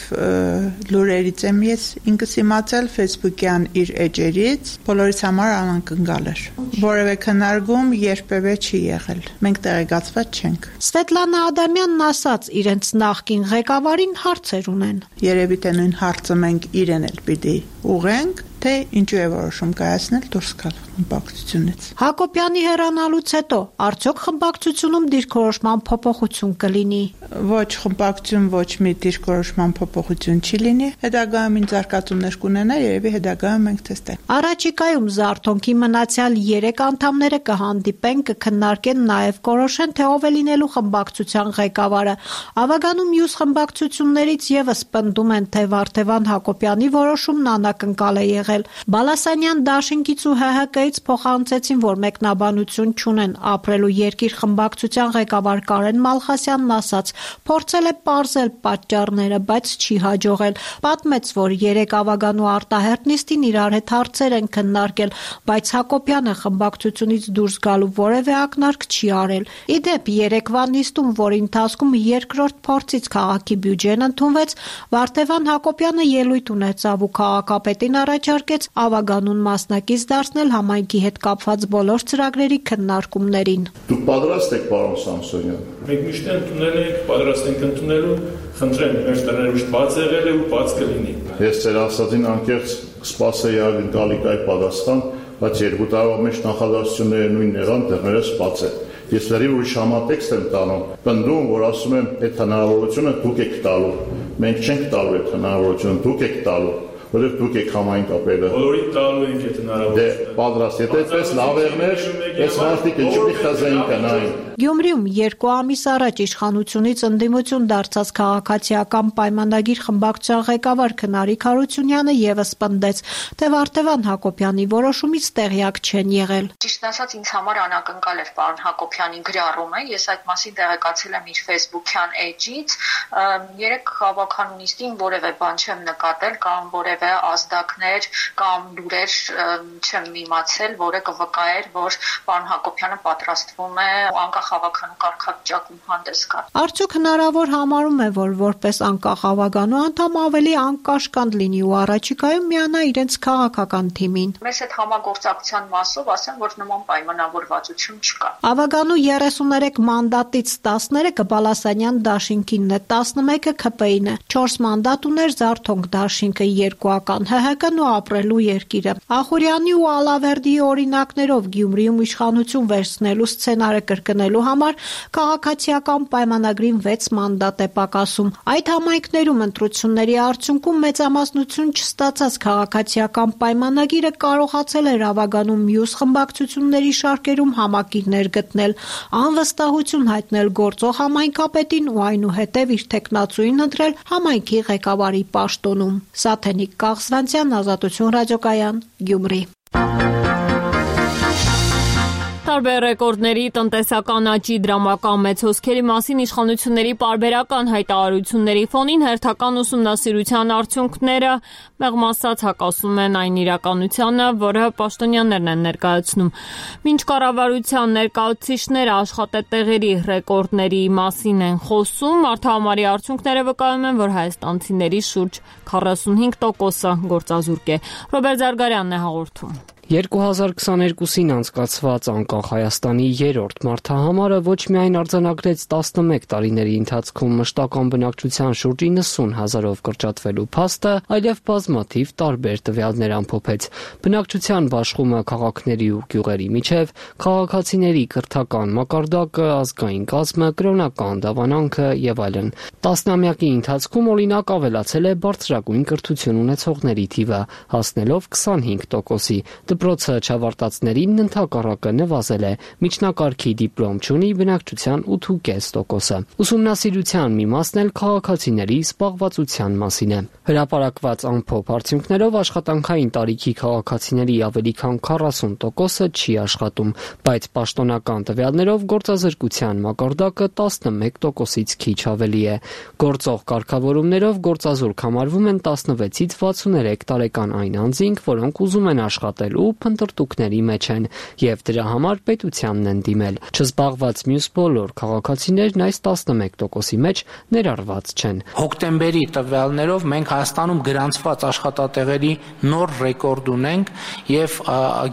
լուրերից եմ ես ինքս իմացել Facebook-յան իր էջերից, բոլորիս համար անակնկալ էր։ Որևէ քննարկում երբևէ չի եղել։ Մենք տեղեկացված չենք։ Սվետլանա Ադամյանն ասաց, իրենց նախկին ղեկավարին հարցեր ունեն։ Երևի թե նույն հարցը մենք իրեն էլ պիտի ուղենք, թե ինչու է որոշում կայացնել դուրս գալ խմբակցությունից։ Հակոբյանի հեռանալուց հետո արդյոք խմբակցությունում դիրքորոշման փոփոխություն կլինի։ Ոչ խմբակցություն, ոչ մի դիրքորոշման փոփոխություն չի լինի։ Հետագայում ինչ զարգացումներ կունենա, երևի հետագայում մենք տեսնենք։ Առաջիկայում Զարթոնքի մնացյալ 3 անդամները կհանդիպեն, կքննարկեն, նաև կորոշեն, թե ով է լինելու խմբակցության ղեկավարը։ Ավագանում մյուս խմբակցություններից եւս պնդում են, թե Վարդևան Հակոբյանի որոշումն անակնկալ է եղել։ Բալասանյան դաշինքից ու ՀՀԿ-ից փոխանցեցին, որ մեկնաբանություն չունեն։ Ապրելու երկիր խմբակցության ղեկավար Կարեն Մալխասյանն ասաց, փորձել է պարզել պատճառները, բայց չի հաջողել։ Պատմեց, որ 3 Ավագանու արտահերտ նիստին իրար հետ հարցեր են քննարկել, բայց Հակոբյանը խմբակցությունից դուրս գալու որևէ ակնարկ չի արել։ Իդեպ 3-վա նիստում, որի ընթացքում երկրորդ փորձից քաղաքի բյուջեն ընդունվեց, Վարդևան Հակոբյանը ելույթ ունեցավ ու քաղաքապետին առաջարկեց Ավագանուն մասնակից դարձնել համայնքի հետ կապված բոլոր ծրագրերի քննարկումներին։ Դուք պատրաստ եք, պարոն Սամսոնյան։ Մենք միշտ ընդունել ենք, պատրաստ ենք ընդունելու, խնդրեմ, մեր տները միշտ բաց եղել է ու բաց կլինի։ Ես ձեր ասածին անկեղծ կսպասեի ակնկալիքայի պատասխան, բայց 2 տարվա մեջ նախադասությունները նույնն եղան, դեռներս բաց է։ Ես լրիվ ուրիշ համատեքստ եմ տանում, պնդում, որ ասում եմ, այդ հնարավորությունը դուք եք տալու։ Մենք չենք տալու այդ հնարավորությունը, դուք եք տալու, որովհետև դուք եք համային կապելը։ Բոլորին տալու ենք այդ հնարավորությունը։ Դե պատրաստ, եթե այդպես լավ եղներ, այս մարդիկ ինչու՞ խզային կանային։ Գյումրիում 2 ամիս առաջ իշխանությունից ընդդիմություն դարձած քաղաքացիական պայմանագիր խմբակցության ղեկավար Քնարիկ Հարությունյանը եւս պնդեց, թե Վարդևան Հակոբյանի որոշումից տեղյակ չեն եղել։ Ճիշտն ասած, ինձ համար անակնկալ էր պարոն Հակոբյանի գրառումը, ես այդ մասին տեղեկացել եմ իր Facebook-յան էջից, 3 հավաքանու նիստին որևէ բան չեմ նկատել կամ որևէ ազդակներ կամ լուրեր չեմ իմացել, որը կվկայեր, որ պարոն Հակոբյանը պատրաստվում է անկախ հավաքանու կարգավիճակում հանդես գալ։ Արդյոք հնարավոր համարում է, որ որպես անկախ Ավագանու անդամ ավելի անկաշկանդ լինի ու առաջիկայում միանա իրենց քաղաքական թիմին։ Մեզ այդ համագործակցության մասով ասեմ, որ նման պայմանավորվածություն չկա։ Ավագանու 33 մանդատից 10-ը Բալասանյան դաշինքինն է, 11-ը ՔՊ-ին է, 4 մանդատ ուներ Զարթոնք դաշինքը, 2-ական ՀՀԿ-ն ու ապրելու երկիրը։ Ախուրյանի ու Ալավերդիի օրինակներով Գյումրիում իշխանություն վերցնելու սցենարը կրկնելու համար քաղաքացիական պայմանագրին 6 մանդատ է պակասում։ Այդ համայնքներում ընտրությունների արդյունքում մեծամասնություն չստացած քաղաքացիական պայմանագիրը կարողացել էր Ավագանում մյուս խմբակցությունների շարքերում համակիրներ գտնել, անվստահություն հայտնել գործող համայնքապետին ու այնուհետև իր թեկնածուին ընտրել համայնքի ղեկավարի պաշտոնում։ Սաթենիկ Աղզվանցյան, Ազատություն ռադիոկայան, Գյումրի։ Տարբեր ռեկորդների, տնտեսական աճի, դրամական մեծ հոսքերի մասին իշխանությունների պարբերական հայտարարությունների ֆոնին հերթական ուսումնասիրության արդյունքները մեղմ ասած հակասում են այն իրականությանը, որը պաշտոնյաներն են ներկայացնում։ Մինչ կառավարության ներկայացուցիչները աշխատատեղերի ռեկորդների մասին են խոսում, մարդահամարի արդյունքները վկայում են, որ հայաստանցիների շուրջ 45%-ը գործազուրկ է։ Ռոբերտ Զարգարյանն է հաղորդում։ 2022-ին անցկացված անկախ Հայաստանի երրորդ մարդահամարը ոչ միայն արձանագրեց 11 տարիների ընթացքում մշտական բնակչության շուրջ 90 հազարով կրճատվելու փաստը, այլև բազմաթիվ տարբեր տվյալներ ամփոփեց։ Բնակչության բաշխումը քաղաքների ու գյուղերի միջև, քաղաքացիների կրթական մակարդակը, ազգային կազմը, կրոնական դավանանքը եւ այլն։ Տասնամյակի ընթացքում օրինակ ավելացել է բարձրագույն կրթություն ունեցողների թիվը, հասնելով 25%-ի։ Դպրոցը չավարտածներին ընդհակառակը նվազել է, միջնակարգի դիպլոմ չունի բնակչության 8.5%-ը։ Ուսումնասիրության մի մասն էլ քաղաքացիների զբաղվածության մասին է։ Հրապարակված ամփոփ արդյունքներով աշխատանքային տարիքի քաղաքացիների ավելի քան 40%-ը չի աշխատում, բայց պաշտոնական տվյալներով գործազրկության մակարդակը 11%-ից քիչ ավելի է։ Գործող կարգավորումներով գործազուրկ համարվում են 16-ից 63 տարեկան այն անձինք, որոնք ուզում են աշխատել ու փնտրտուքների մեջ են, եւ դրա համար պետությանն են դիմել։ Չզբաղված մյուս բոլոր քաղաքացիներն այս 11%-ի մեջ ներառված չեն։ Հոկտեմբերի տվյալներով մենք Հայաստանում գրանցված աշխատատեղերի նոր ռեկորդ ունենք եւ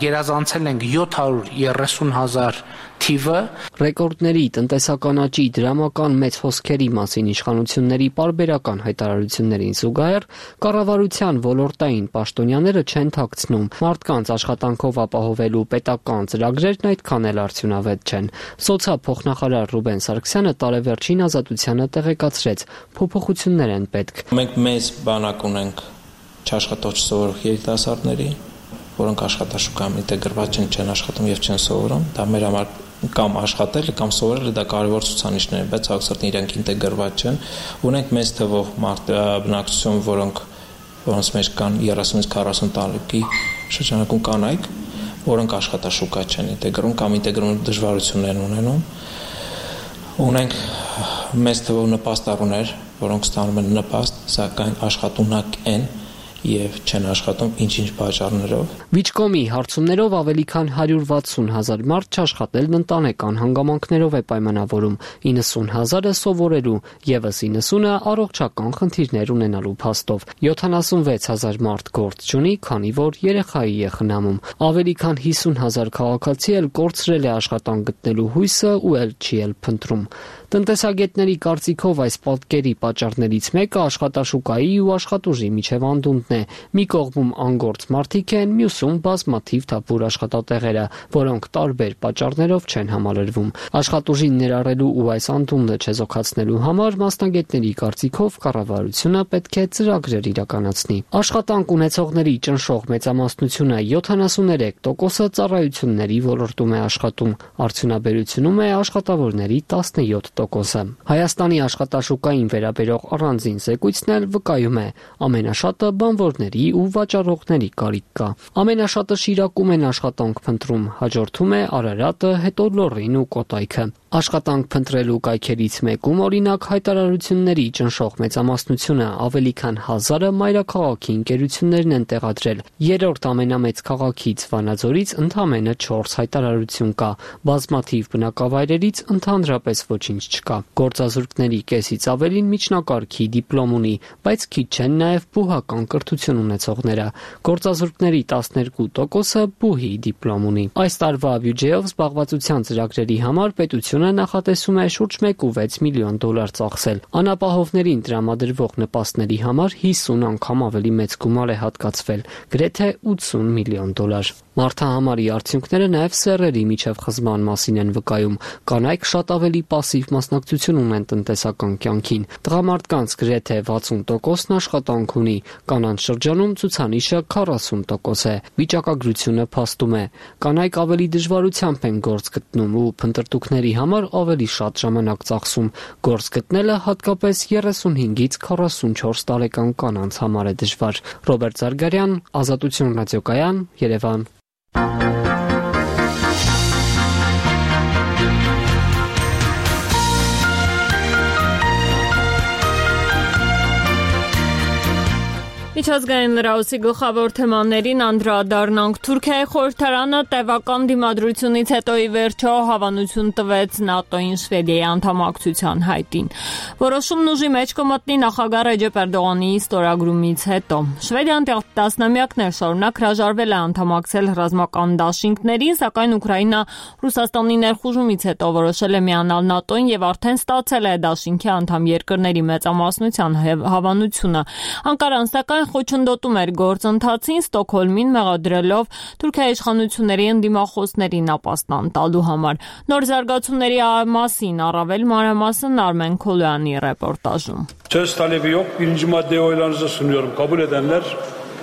գերազանցել ենք 730,000 թիվը։ Ռեկորդների, տնտեսական աճի, դրամական մեծ հոսքերի մասին իշխանությունների պարբերական հայտարարություններին զուգահեռ կառավարության ոլորտային պաշտոնյաները չեն թաքցնում։ Մարդկանց աշխատանքով ապահովելու պետական ծրագրերն այդքան էլ արդյունավետ չեն։ Սոցիալփոխնախարար Ռուբեն Սարգսյանը տարեվերջին Ազատությանը տեղեկացրեց՝ փոփոխություններ են պետք։ Մենք մեծ բանակ ունենք չաշխատող չսովորող երիտասարդների, որոնք աշխատաշուկայում ինտեգրված չեն աշխատում եւ չեն սովորում։ Դա մեր համար կամ աշխատելը կամ սովորելը դա կարևոր ցուցանիշներ են, բայց հակասական իրենք ինտեգրված չեն։ Ունենք մեծ թվով բնակչություն, որոնց մեջ կան 30-ից 40 տարեկան շրջանակում կանայք, որոնք աշխատաշուկա չեն ինտեգրում կամ ինտեգրում դժվարություններ ունենում։ Ունենք մեծ թվով նպաստառուներ, որոնք ստանում են նպաստ, սակայն աշխատունակ են եւ չեն աշխատում ինչ-ինչ պատճառներով։ Վիճկոմի հարցումներով ավելի քան 160,000 մարդ չաշխատել ընտանեկան հանգամանքներով է պայմանավորում, 90,000-ը սովորելու, եւս 90-ը առողջական խնդիրներ ունենալու փաստով։ 76,000 մարդ գործ չունի, քանի որ երեխայի է խնամում։ Ավելի քան 50,000 քաղաքացի էլ կորցրել է աշխատանք գտնելու հույսը ու էլ չի էլ փնտրում։ Տնտեսագետների կարծիքով այս պատկերի պատճառներից մեկը աշխատաշուկայի ու աշխատուժի միջև անդունդն է։ Մի կողմում անգործ մարդիկ են, մյուսում բազմաթիվ թափուր աշխատատեղերը, որոնք տարբեր պատճառներով չեն համալրվում։ Աշխատուժին ներառելու ու այս անդունդը չեզոքացնելու համար մասնագետների կարծիքով կառավարությունը պետք է ծրագրեր իրականացնի։ Աշխատանք ունեցողների ճնշող մեծամասնությունը 73%-ը ծառայությունների ոլորտում է աշխատում, արդյունաբերությունում է աշխատավորների 17%-ը։ Հայաստանի աշխատաշուկային վերաբերող առանձին զեկույցն էլ վկայում է, ամենաշատը բանվորների ու վաճառողների կարիք կա։ Ամենաշատը Շիրակում են աշխատանք փնտրում, հաջորդում է Արարատը, հետո Լոռին ու Կոտայքը։ Աշխատանք փնտրելու կայքերից մեկում օրինակ հայտարարությունների ճնշող մեծամասնությունը ավելի քան 1000-ը մայրաքաղաքի ընկերություններն են տեղադրել։ Երրորդ ամենամեծ քաղաքից Վանաձորից ընդամենը 4 հայտարարություն կա, բազմաթիվ բնակավայրերից ընդհանրապես ոչինչ չկա։ Գործազուրկների կեսից ավելին միջնակարգի դիպլոմ ունի, բայց քիչ չեն նաև բուհական կրթություն ունեցողները։ Գործազուրկների 12%-ը բուհի դիպլոմ ունի։ Այս տարվա բյուջեով զբաղվածության ծրագրերի համար պետությունը նախատեսում է շուրջ 1.6 միլիոն դոլար ծախսել։ Անապահովներին տրամադրվող նպաստների համար 50 անգամ ավելի մեծ գումար է հատկացվել, գրեթե 80 միլիոն դոլար։ Մարդահամարի արդյունքները նաև սեռերի միջև խզման մասին են վկայում։ Կանայք շատ ավելի պասիվ մասնակցություն ունեն տնտեսական կյանքին։ Տղամարդկանց գրեթե 60%-ն աշխատանք ունի, կանանց շրջանում ցուցանիշը 40% է։ Վիճակագրությունը փաստում է, կանայք ավելի դժվարությամբ են գործ գտնում ու փնտրտուքների համար ավելի շատ ժամանակ ծախսում։ Գործ գտնելը հատկապես 35-ից 44 տարեկան կանանց համար է դժվար։ Ռոբերտ Զարգարյան, Ազատություն ռադիոկայան, Երևան։ Միջազգային լրահոսի գլխավոր թեմաներին անդրադառնանք։ Թուրքիայի խորհրդարանը տևական դիմադրությունից հետո ի վերջո հավանություն տվեց ՆԱՏՕ-ին Շվեդիայի անդամակցության հայտին։ Որոշումն ուժի մեջ կմտնի նախագահ Ռեջեփ Էրդողանի ստորագրումից հետո։ Շվեդիան տասնամյակներ շարունակ հրաժարվել է անդամակցել ռազմական դաշինքներին, սակայն Ուկրաինա Ռուսաստանի ներխուժումից հետո որոշել է միանալ ՆԱՏՕ-ին եւ արդեն ստացել է դաշինքի անդամ երկրների մեծամասնության հավանությունը։ Անկարան սակայն խոչընդոտում էր գործընթացին, Ստոկհոլմին մեղադրելով Թուրքիայի իշխանությունների ընդդիմախոսներին ապաստան տալու համար։ Նոր զարգացումների մասին առավել մանրամասն Արմեն Քոլոյանի ռեպորտաժում։ Söz talebi yok. Birinci maddeyi oylarınıza sunuyorum. Kabul edenler,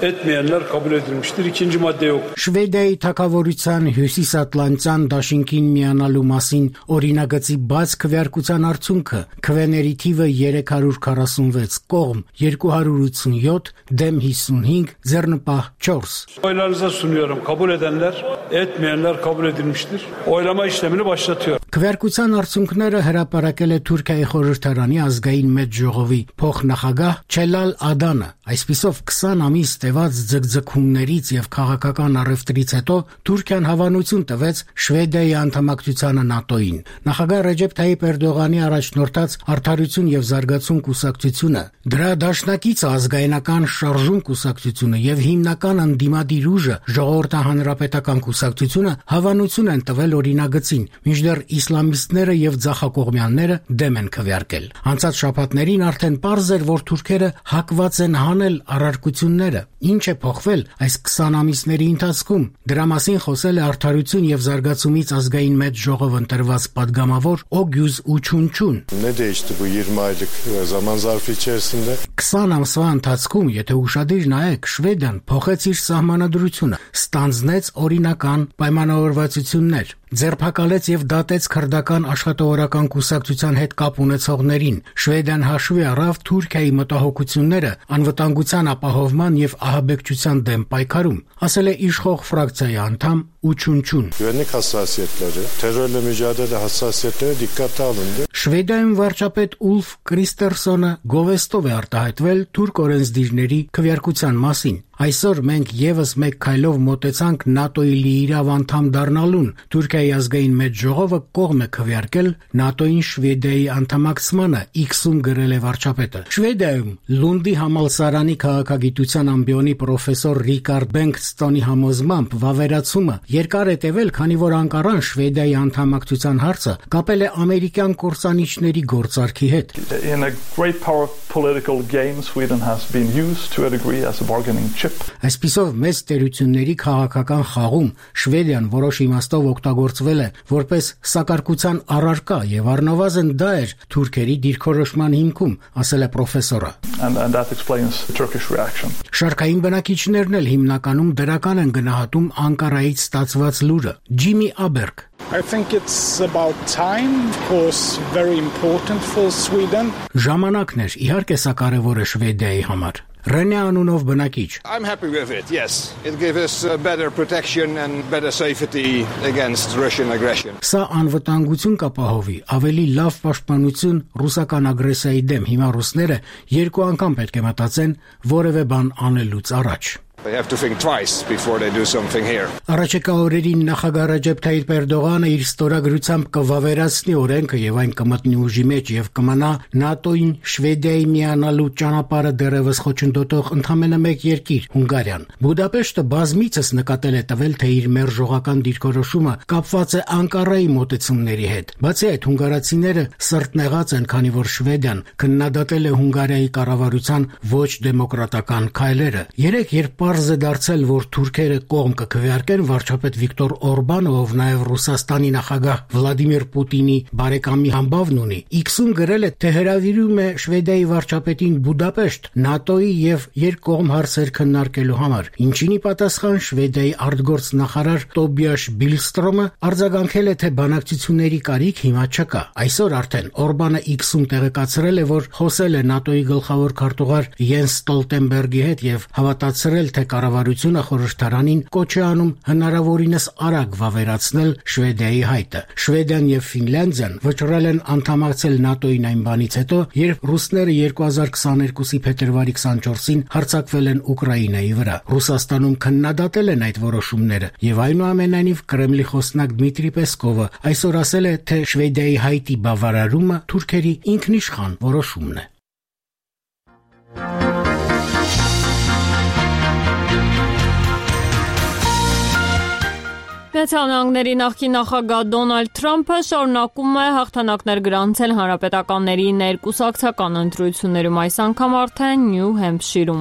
etmeyenler kabul edilmiştir. İkinci madde yok. Շվեդիայի թագավորության հյուսիսատլանտյան դաշինքին միանալու մասին օրինագծի բաց քվեարկության արդյունքը քվեների թիվը 346 կողմ 287 դեմ 55 ձեռնպահ 4 Oylarınıza sunuyorum. Kabul edenler, etmeyenler kabul edilmiştir. Oylama işlemini başlatıyor. Քվեարկության արդյունքները հրապարակել է Թուրքիայի խորհրդարանի ազգային մեծ ժողովի փոխնախագահ Չելալ Ադանը։ Այսպիսով 20 ամիս տևած ձգձգումներից եւ քաղաքական առևտրից հետո Թուրքիան հավանություն տվեց Շվեդիայի անդամակցությանը ՆԱՏՕ-ին։ Նախագահ Ռեջեփ Թայիփ Էրդողանի առաջնորդած Արդարություն եւ զարգացում կուսակցությունը, դրա դաշնակիցը ազգայնական շարժում կուսակցությունը եւ հիմնական ընդդիմադիր ուժը Ժողովրդահանրապետական կուսակցությունը հավանություն են տվել օրինագծին, մինչդեռ իսլամիստները եւ ձախակողմյանները դեմ են քվեարկել։ Անցած շաբաթներին արդեն պարզ էր, որ թուրքերը հակված են հանել առարկությունները։ Ինչ է փոխվել այս 20 ամիսների ընթացքում։ Դրա մասին խոսել է Արդարություն եւ զարգացումից ազգային մեծ ժողով ընտրված падգամավոր Օգյուզ Ուչունչուն։ 20 aylık zaman zarfı içerisinde 20 ամսվա ընթացքում, եթե ուշադիր նայեք, Շվեդիան փոխեց իր սահմանադրությունը, ստանձնեց օրինական պայմանավորվածություններ, ձերբակալեց եւ դատեց քրդական աշխատավորական կուսակցության հետ կապ ունեցողներին։ Շվեդիան հաշվի առավ Թուրքիայի մտահոգությունները անվտանգության ապահովման եւ ահաբեկչության դեմ պայքարում, ասել է իշխող ֆրակցիայի անդամ Ուչունչուն։ Güvenlik hassasiyetleri, terörle mücadele hassasiyetleri dikkate alındı. Շվեդիայում վարչապետ Ուլֆ Կրիստերսոնը գովեստով է արտահայտվել թուրք օրենսդիրների քվեարկության մասին։ Այսօր մենք եւս մեկ քայլով մոտեցանք ՆԱՏՕ-ի լիիրավ անդամ դառնալուն։ Թուրքիայի ազգային մեծ ժողովը կողմ է քվեարկել ՆԱՏՕ-ին Շվեդիայի անդամակցմանը, X-ում գրել է վարչապետը։ Շվեդիայում Լունդի համալսարանի քաղաքագիտության ամբիոնի պրոֆեսոր Ռիկարդ Բենքստոնի համոզմամբ վավերացումը երկար է տևել, քանի որ Անկարան Շվեդիայի անդամակցության հարցը կապել է ամերիկյան կորսանիչների գործարքի հետ։ In a great power political game, Sweden has been used to a degree as a bargaining chip. Այսպիսով մեծ տերությունների քաղաքական խաղում Շվեդիան որոշ իմաստով օգտագործվել է որպես սակարկության առարկա եւ առնվազն դա էր թուրքերի դիրքորոշման հիմքում, ասել է պրոֆեսորը։ And that explains the Turkish reaction. Շարքային բնակիչներն էլ հիմնականում դրական են գնահատում Անկարայից ստացված լուրը։ Ջիմի Աբերգ I think it's about time, of course, very important for Sweden. Ժամանակն էր, իհարկե սա կարևոր է Շվեդիայի համար։ Ռենե անունով բնակիչ։ I'm happy with it, yes. It gives us better protection and better safety against Russian aggression. Սա անվտանգություն կապահովի, ավելի լավ պաշտպանություն ռուսական ագրեսիայի դեմ։ Հիմա ռուսները երկու անգամ պետք է մտածեն որևէ բան անելուց առաջ։ They have to think twice before they do something here. Առաջիկա օրերին նախագահ Ռեջեփ Թայիփ Էրդողանը իր ստորագրությամբ կվավերացնի օրենքը եւ այն կմտնի ուժի մեջ եւ կմնա ՆԱՏՕ-ին Շվեդիայի միանալու ճանապարհը դեռևս խոչընդոտող ընդամենը մեկ երկիր՝ Հունգարիան։ Բուդապեշտը բազմիցս նկատել է տվել, թե իր մերժողական դիրքորոշումը կապված է Անկարայի մոտեցումների հետ։ Բացի այդ, հունգարացիները սրտնեղած են, քանի որ Շվեդիան քննադատել է Հունգարիայի կառավարության ոչ դեմոկրատական քայլերը։ Երբ պարզ է դարձել, որ թուրքերը կողմ կքվեարկեն, վարչապետ Վիկտոր Օրբանը, ով նաև Ռուսաստանի նախագահ Վլադիմիր Պուտինի բարեկամի համբավն ունի, X-ում գրել է, թե հրավիրում է Շվեդիայի վարչապետին Բուդապեշտ ՆԱՏՕ-ի եւ երկկողմ հարցեր քննարկելու համար, ինչին ի պատասխան Շվեդիայի արտգործ նախարար Տոբիաշ Բիլստրոմը արձագանքել է, թե բանակցությունների կարիք հիմա չկա։ Այսօր արդեն Օրբանը X-ում տեղեկացրել է, որ խոսել է ՆԱՏՕ-ի գլխավոր քարտուղար Յենս Ստոլտենբերգի հետ եւ հավատացրել, թե թե կառավարությունը խորհրդարանին կոչ է անում հնարավորինս արագ վավերացնել Շվեդիայի հայտը։ Շվեդիան եւ Ֆինլանդիան վճռել են անդամակցել ՆԱՏՕ-ին այն բանից հետո, երբ ռուսները 2022-ի փետրվարի 24-ին հարձակվել են Ուկրաինայի վրա։ Ռուսաստանում քննադատել են այդ որոշումները եւ այնուամենայնիվ Կրեմլի խոսնակ Դմիտրի Պեսկովը այսօր ասել է, թե Շվեդիայի հայտի բավարարումը թուրքերի ինքնիշխան որոշումն է։ Միացյալ Նահանգների նախկին նախագահ Դոնալդ Թրամփը շարունակում է հաղթանակներ գրանցել հանրապետականների ներկուսակցական ընտրություններում, այս անգամ արդեն Նյու Հեմփշիրում։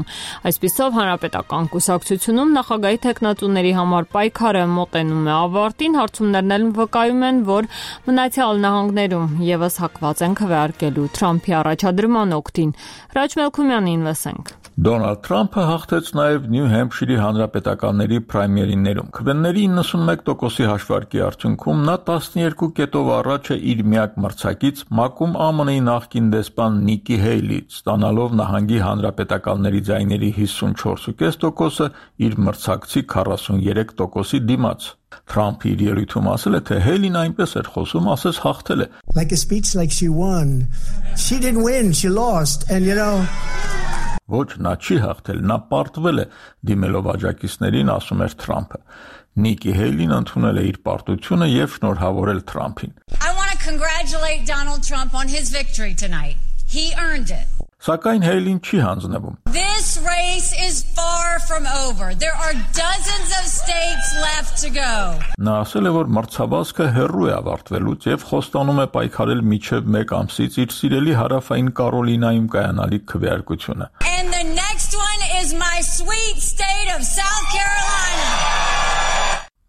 Այսպիսով հանրապետական կուսակցությունում նախագահի թեկնածուների համար պայքարը մոտենում է ավարտին, հարցումներն էլ վկայում են, որ Միացյալ Նահանգներում եւս հակված են քվեարկելու Թրամփի առաջադրման օգտին։ Ռաջ Մելքումյանին լսենք։ Դոնալդ Թրամփը հաղթեց նաև Նյու Հեմփշիրի հանրապետականների պրայմերիներում։ Քվեների 91%-ի հաշվարկի արդյունքում նա 12 կետով առաջ է իր միակ մրցակից ՄԱԿ-ում ԱՄՆ-ի նախկին դեսպան Նիկի Հեյլից, ստանալով նահանգի հանրապետականների ձայների 54.5%-ը իր մրցակցի 43%-ի դիմաց։ Թրամփը իր ելույթում ասել է, թե Հեյլին այնպես էր խոսում, ասես հաղթել է։ Like a speech like she won. She didn't win, she lost. And you know Ոչ, նա չի հաղթել, նա պարտվել է, դիմելով աջակիցներին, ասում էր Թրամփը։ Նիկի Հեյլին ընդունել է իր պարտությունը եւ շնորհավորել Թրամփին։ I want to congratulate Donald Trump on his victory tonight. He earned it. Սակայն Հեյլին չի հանձնվում։ This race is far from over. There are dozens of states left to go. Նա ասել է, որ մրցավազքը հեռու է ավարտվելուց եւ խոստանում է պայքարել մինչեւ 1 ամսից իր սիրելի հարավային Կարոլինայում կայանալիք քվեարկությունը։ And the next one is my sweet state of South Carolina.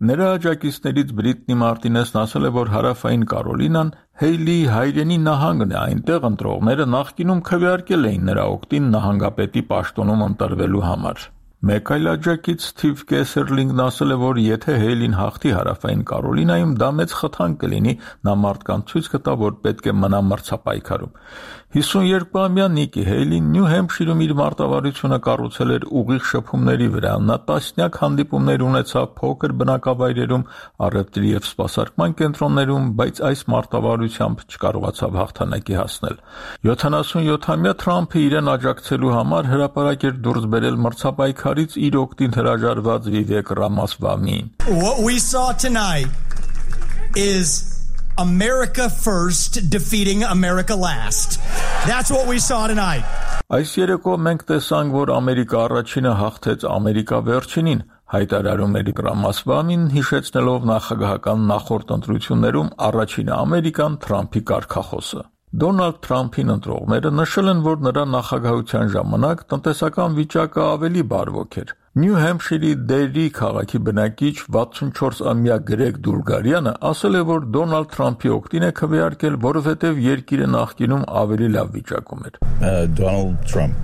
Նրա աջակիցներից Բրիտնի Մարտինեսն ասել է, որ հարավային Կարոլինան Հեյլիի հայրենի նահանգն է, այնտեղ ընտրողները նախկինում քվեարկել էին նրա օգտին նահանգապետի պաշտոնում ընտրվելու համար։ Մեկ այլ աջակից Սթիվ Կեսերլինգն ասել է, որ եթե Հեյլին հաղթի հարավային Կարոլինայում, դա մեծ խթան կլինի, նա մարդկանց ցույց կտա, որ պետք է մնա մրցապայքարում։ 52-ամյա Նիկի Հեյլին Նյու Հեմփշիրում իր մարտավարությունը կառուցել էր ուղիղ շփումների վրա։ Նա տասնյակ հանդիպումներ ունեցավ փոքր բնակավայրերում, առևտրի եւ սպասարկման կենտրոններում, բայց այս մարտավարությամբ չկարողացավ հաղթանակի հասնել։ 77-ամյա Թրամփը իրեն աջակցելու համար հրապարակ էր դուրս բերել մրցապայքարից իր օգտին հրաժարված Վիվեկ Ռամասվամին։ What we saw tonight is America first defeating America last. That's what we saw tonight. Այս երեկո մենք տեսանք, որ Ամերիկա առաջինը հաղթեց Ամերիկա վերջինին, հայտարարում էր Ռամասվամին, հիշեցնելով նախագահական նախորդ ընտրություններում առաջինը Ամերիկան Թրամփի կարգախոսը։ Դոնալդ Թրամփին ընտրողները նշել են, որ նրա նախագահության ժամանակ տնտեսական վիճակը ավելի բարվոք էր։ Նյու Հեմփշիրի Դերի քաղաքի բնակիչ 64-ամյա Գրեգ Դուլգարյանը ասել է, որ Դոնալդ Թրամփի օգտին է քվեարկել, որովհետև երկիրը նախկինում ավելի լավ վիճակում էր։ Donald Trump,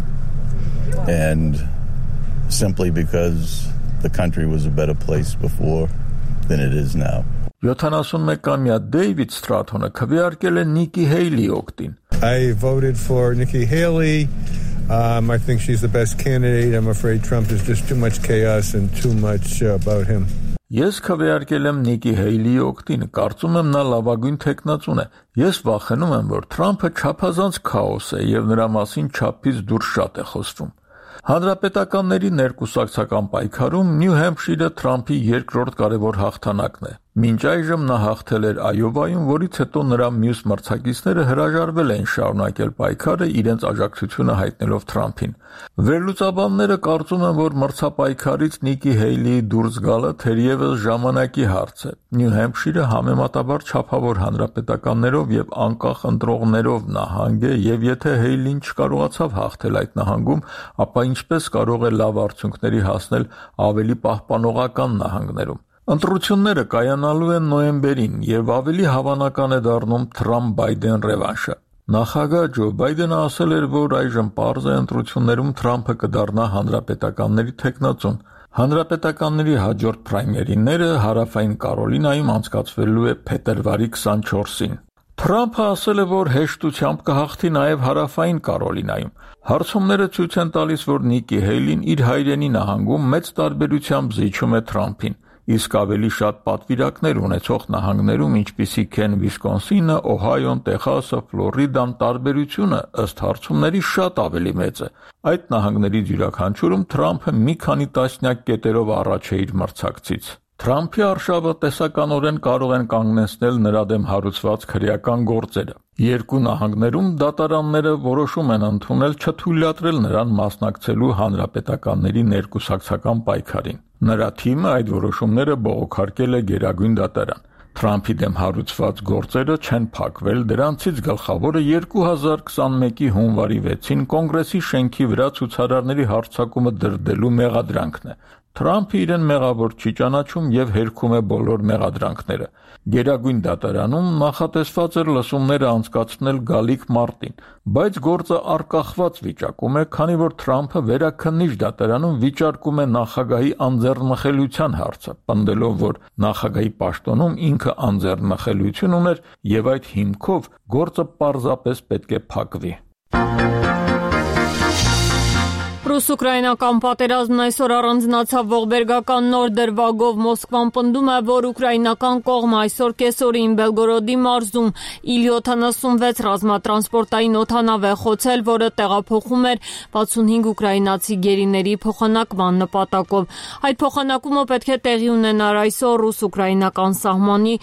and simply because the country was a better place before than it is now. 71-ամյա Դեյվիդ Ստրաթոնը քվեարկել է Նիկի Հեյլի օգտին։ I voted for Nikki Haley. I think she's the best candidate. I'm afraid Trump is just too much chaos and too much about him. Ես քվեարկել եմ Նիկի Հեյլիի օգտին, կարծում եմ նա լավագույն թեկնածուն է։ Ես վախենում եմ, որ Թրամփը չափազանց քաոս է եւ նրա մասին չափից դուրս շատ է խոսվում։ Հանրապետականների ներկուսակցական պայքարում Նյու Հեմփշիրը Թրամփի երկրորդ կարևոր հաղթանակն է։ Մինչ այժմ նա հաղթել էր Այովայում, որից հետո նրա մյուս մրցակիցները հրաժարվել էին շարունակել պայքարը իրենց աջակցությունը հայտնելով Թրամփին։ Վերլուծաբանները կարծում են, որ մրցապայքարից Նիկի Հեյլիի դուրս գալը թերևս ժամանակի հարց է։ Նյու Հեմփշիրը համեմատաբար չափավոր հանրապետականներով եւ անկախ ընտրողներով նահանգ է, եւ եթե Հեյլին չկարողացավ հաղթել այդ նահանգում, ապա ինչպես կարող է լավ արդյունքների հասնել ավելի պահպանողական նահանգներում։ Ընտրությունները կայանալու են նոյեմբերին եւ ավելի հավանական է դառնում Թրամփ-Բայդեն ռևանշը։ Նախագահ Ջո Բայդենը ասել էր, որ այժմ պարզ է ընտրություններում Թրամփը կդառնա հանրապետականների թեկնածուն։ Հանրապետականների հաջորդ պրայմերիները հարավային Կարոլինայում անցկացվելու է փետրվարի 24-ին։ Թրամփը ասել է, որ հեշտությամբ կհաղթի նաև հարավային Կարոլինայում։ Հարցումները ցույց են տալիս, որ Նիկի Հեյլին իր հայրենի նահանգում մեծ տարբերությամբ զիջում է Թրամփին, իսկ ավելի շատ պատվիրակներ ունեցող նահանգներում, ինչպիսիք են Վիսկոնսինը, Օհայոն, Տեխասը, Ֆլորիդան, տարբերությունը ըստ հարցումների շատ ավելի մեծ է։ Այդ նահանգներից յուրաքանչյուրում Թրամփը մի քանի տասնյակ կետերով առաջ է իր մրցակցից։ Թրամփի արշավը տեսականորեն կարող են կանգնեցնել նրա դեմ հարուցված քրեական գործերը։ Երկու նահանգներում դատարանները որոշում են ընդունել չթույլատրել նրան մասնակցելու հանրապետականների ներկուսակցական պայքարին։ Նրա թիմը այդ որոշումները բողոքարկել է Գերագույն դատարան։ Թրամփի դեմ հարուցված գործերը չեն փակվել, դրանցից գլխավորը 2021-ի հունվարի 6-ին կոնգրեսի շենքի վրա ցուցարարների հարձակումը դրդելու մեղադրանքն է։ Թրամփը իրեն մեղավոր չի ճանաչում եւ հերքում է բոլոր մեղադրանքները։ Գերագույն դատարանում նախատեսված էր լսումները անցկացնել գալիք մարտին, բայց գործը արկախված վիճակում է, քանի որ Թրամփը վերաքննիչ դատարանում վիճարկում է նախագահի անձեռնմխելիության հարցը, պնդելով, որ նախագահի պաշտոնում ինքը անձեռնմխելիություն ուներ եւ այդ հիմքով գործը պարզապես պետք է փակվի։ Ռուս-ուկրաինական պատերազմն այսօր առանձնացավ ողբերգական նոր դրվագով։ Մոսկվան պնդում է, որ ուկրաինական կողմը այսօր կեսօրին Բելգորոդի մարզում Il-76 ռազմատրանսպորտային օդանավ է խոցել, որը տեղափոխում էր 65 ուկրաինացի գերիների փոխանակման նպատակով։ Այդ փոխանակումը պետք է տեղի ունենար այսօր ռուս-ուկրաինական սահմանի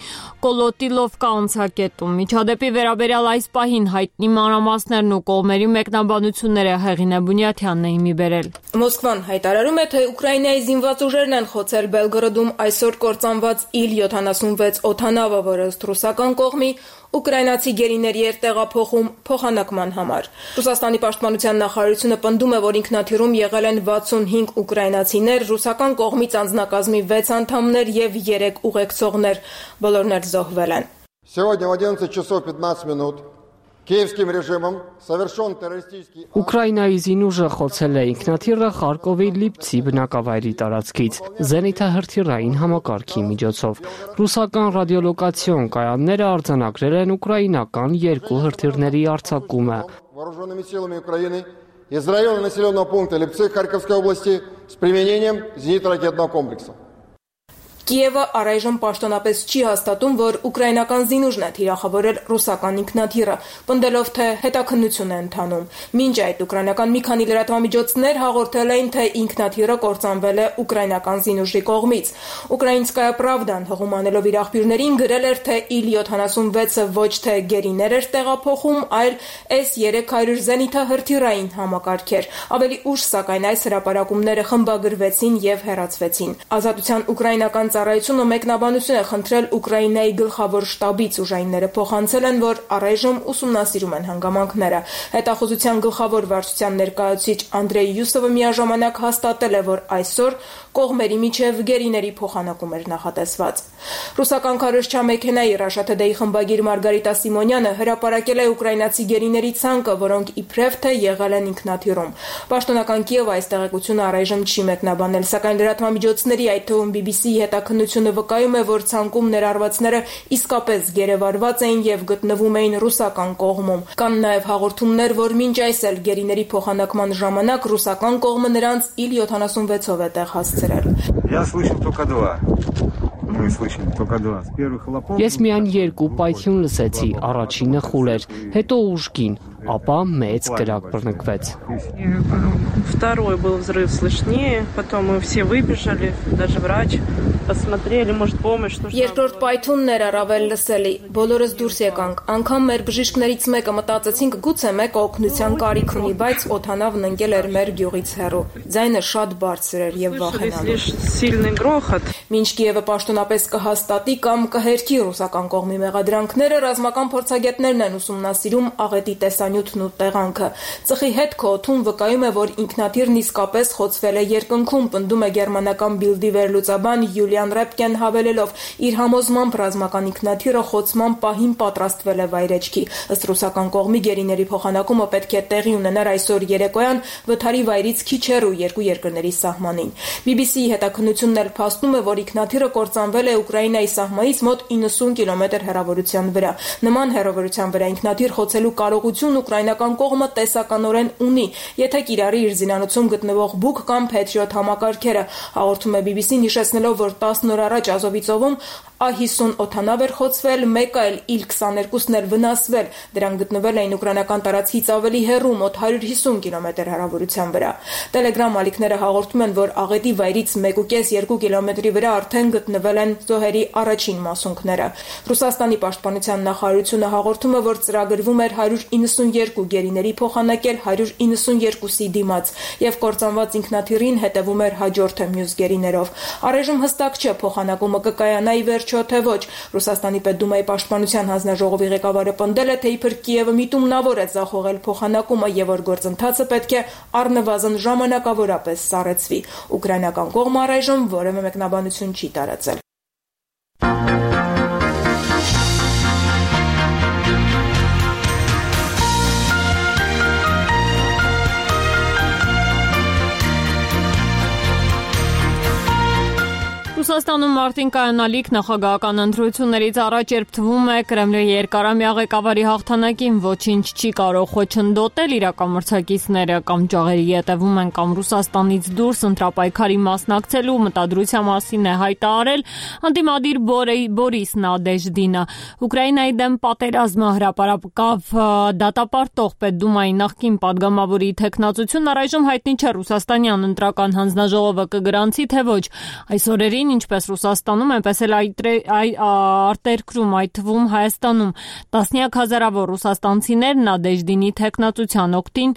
Կոլոտիլովկա անցակետում։ Միջադեպի վերաբերյալ այս պահին հայտնի մանրամասներն ու կողմերի մեկնաբանությունները Հեղինե Բունյաթյանն էին բերել։ Մոսկվան հայտարարում է, թե Ուկրաինայի զինված ուժերն են խոցել Բելգորոդում այսօր կործանված Il-76 օդանավը, որը ըստ ռուսական կողմի ուկրաինացի գերիների էր տեղափոխում փոխանակման համար։ Ռուսաստանի պաշտպանության նախարարությունը պնդում է, որ ինքնաթիռում եղել են 65 ուկրաինացիներ, ռուսական կողմից անձնակազմի 6 անդամներ եւ 3 ուղեկցողներ, բոլորն էլ զոհվել են։ Сегодня в 11 часов 15 минут Կիևским режимом совершен террористический Ուկրաինայի զինուժը խոցել է ինքնաթիռը Խարկովի Լիպցի բնակավայրի տարածքից զենիթահրթիռային համակարգի միջոցով։ Ռուսական ռադիոլոկացիոն կայանները արձանագրել են ուկրաինական 2 հրթիռների արձակումը։ Вооруженными силами Украины из района населенного пункта Липцы Харьковской области с применением зенитно-ракетного комплекса. Կիևը առայժմ պաշտոնապես չի հաստատում, որ ուկրաինական զինուժն է թիրախավորել ռուսական ինքնաթիռը, պնդելով, թե հետաքննություն է ընթանում։ Մինչ այդ ուկրաինական մի քանի լրատվամիջոցներ հաղորդել էին, թե ինքնաթիռը կործանվել է ուկրաինական զինուժի կողմից։ Ուկրաինսկայա Պրավդան հղում անելով իր աղբյուրներին գրել էր, թե Il-76-ը ոչ թե գերիներ էր տեղափոխում, այլ S-300 զենիթահրթիռային համակարգ էր։ Ավելի ուշ, սակայն, այս հրապարակումները խմբագրվեցին եւ հեռացվեցին։ Ազատության ուկրաինական ծառայությունը մեկնաբանություն է խնդրել Ուկրաինայի գլխավոր շտաբից, ուժայինները փոխանցել են, որ առայժմ ուսումնասիրում են հանգամանքները։ Հետախուզության գլխավոր վարչության ներկայացուցիչ Անդրեյ Յուսովը միաժամանակ հաստատել է, որ այսօր կողմերի միջև գերիների փոխանակում էր նախատեսված։ Ռուսական քարոզչամեքենայի Russia Today խմբագիր Մարգարիտա Սիմոնյանը հրապարակել է ուկրաինացի գերիների ցանկը, որոնք իբրև թե եղել են ինքնաթիռում։ Պաշտոնական Կիևը այս տեղեկությունը առայժմ չի մեկնաբանել, սակայն լրատվամիջոցների, այդ թվում BBC-ի հետաքննությունը վկայում է, որ ցանկում ներառվածները իսկապես գերեվարված էին եւ գտնվում էին ռուսական կողմում։ Կան նաեւ հաղորդումներ, որ մինչ այս էլ գերիների փոխանակման ժամանակ ռուսական կողմը նրանց Il-76-ով է տեղ հասցրել։ Ես միայն 2 պայթյուն լսեցի, առաջինը խուլ էր, հետո ուժգին, ապա մեծ կրակ բռնկվեց։ Второй был взрыв слышнее, потом мы все выбежали, даже врач посмотрели, может, помощь нужна. Երկրորդ պայթյունն էր առավել լսելի։ Բոլորս դուրս եկանք։ Անգամ մեր բժիշկներից մեկը մտածեցինք, գուցե մեկը օգնության կարիք ունի, բայց օդանավն ընկել էր մեր գյուղից հեռու։ Ձայնը շատ բարձր էր եւ վախենալի։ Մինչ Կիևը պաշտոնապես կհաստատի կամ կհերքի ռուսական կողմի մեղադրանքները, ռազմական փորձագետներն են ուսումնասիրում աղետի տեսանյութ խորանյութն ու տեղանքը։ Ծխի հետ քոթուն վկայում է, որ ինքնաթիռն իսկապես խոցվել է երկնքում, պնդում է գերմանական Բիլդի վերլուծաբան Յուլիան Ռեպկեն, հավելելով. իր համոզմամբ ռազմական ինքնաթիռը խոցման պահին պատրաստվել է վայրեջքի։ Ըստ ռուսական կողմի գերիների փոխանակումը պետք է տեղի ունենար այսօր երեկոյան վթարի վայրից քիչ հեռու երկու երկրների սահմանին։ BBC-ի հետաքննությունն էլ փաստում է, որ ինքնաթիռը կործանվել է Ուկրաինայի սահմանից մոտ 90 կիլոմետր հեռավորության վրա։ Նման հեռավորության վրա ինքնաթիռ խոցելու կարողություն ուկրաինական կողմը տեսականորեն ունի, եթե կիրառի իր զինանոցում գտնվող Buk կամ Patriot համակարգերը, հաղորդում է BBC-ն, հիշեցնելով, որ 10 օր առաջ Ազովի ծովում A-50 օդանավ էր խոցվել, մեկը էլ Il-22-ն էր վնասվել։ Դրանք գտնվել էին ուկրաինական տարածքից ավելի հեռու, մոտ 150 կիլոմետր հեռավորության վրա։ Տելեգրամ ալիքները հաղորդում են, որ աղետի վայրից 1.5-2 կիլոմետրի վրա արդեն գտնվել են զոհերի առաջին մասունքները։ Ռուսաստանի պաշտպանության նախարարությունը հաղորդում է, որ ծրագրվում էր 192 գերիների փոխանակել 192-ի դիմաց, եւ կործանված ինքնաթիռին հետևում էր հաջորդը մյուս գերիներով։ Առայժմ հստակ չէ փոխանակումը կկայանա ի վերջո թե ոչ։ Ռուսաստանի Պետդումայի պաշտպանության հանձնաժողովի ղեկավարը պնդել է, թե իբր Կիևը միտումնավոր է ձախողել փոխանակումը եւ որ գործընթացը պետք է առնվազն ժամանակավորապես սառեցվի։ Ուկրաինական կողմը առայժմ որևէ մեկնաբանություն չի տարածել։ Ռուսաստանում մարտին կայանալիք նախագահական ընտրություններից առաջ երբ թվում է Կրեմլի երկարամյա ղեկավարի հաղթանակին ոչինչ չի կարող խոչընդոտել, իրական մրցակիցները կամ ջաղերի ետևում են կամ Ռուսաստանից դուրս ընտրապայքարի մասնակցելու մտադրության մասին է հայտարարել ընդդիմադիր Բորիս Նադեժդինը։ Ուկրաինայի դեմ պատերազմը հրապարակավ դատապարտող Պետդումայի նախկին падգամավորի թեկնածությունն առայժմ հայտնի չէ Ռուսաստանյան ընտրական հանձնաժողովը կգրանցի թե ոչ։ Այս օրերին ինչպես Ռուսաստանում, այնպես էլ արտերկրում, այդ թվում Հայաստանում տասնյակ հազարավոր ռուսաստանցիներ Նադեժդինի թեկնածության օգտին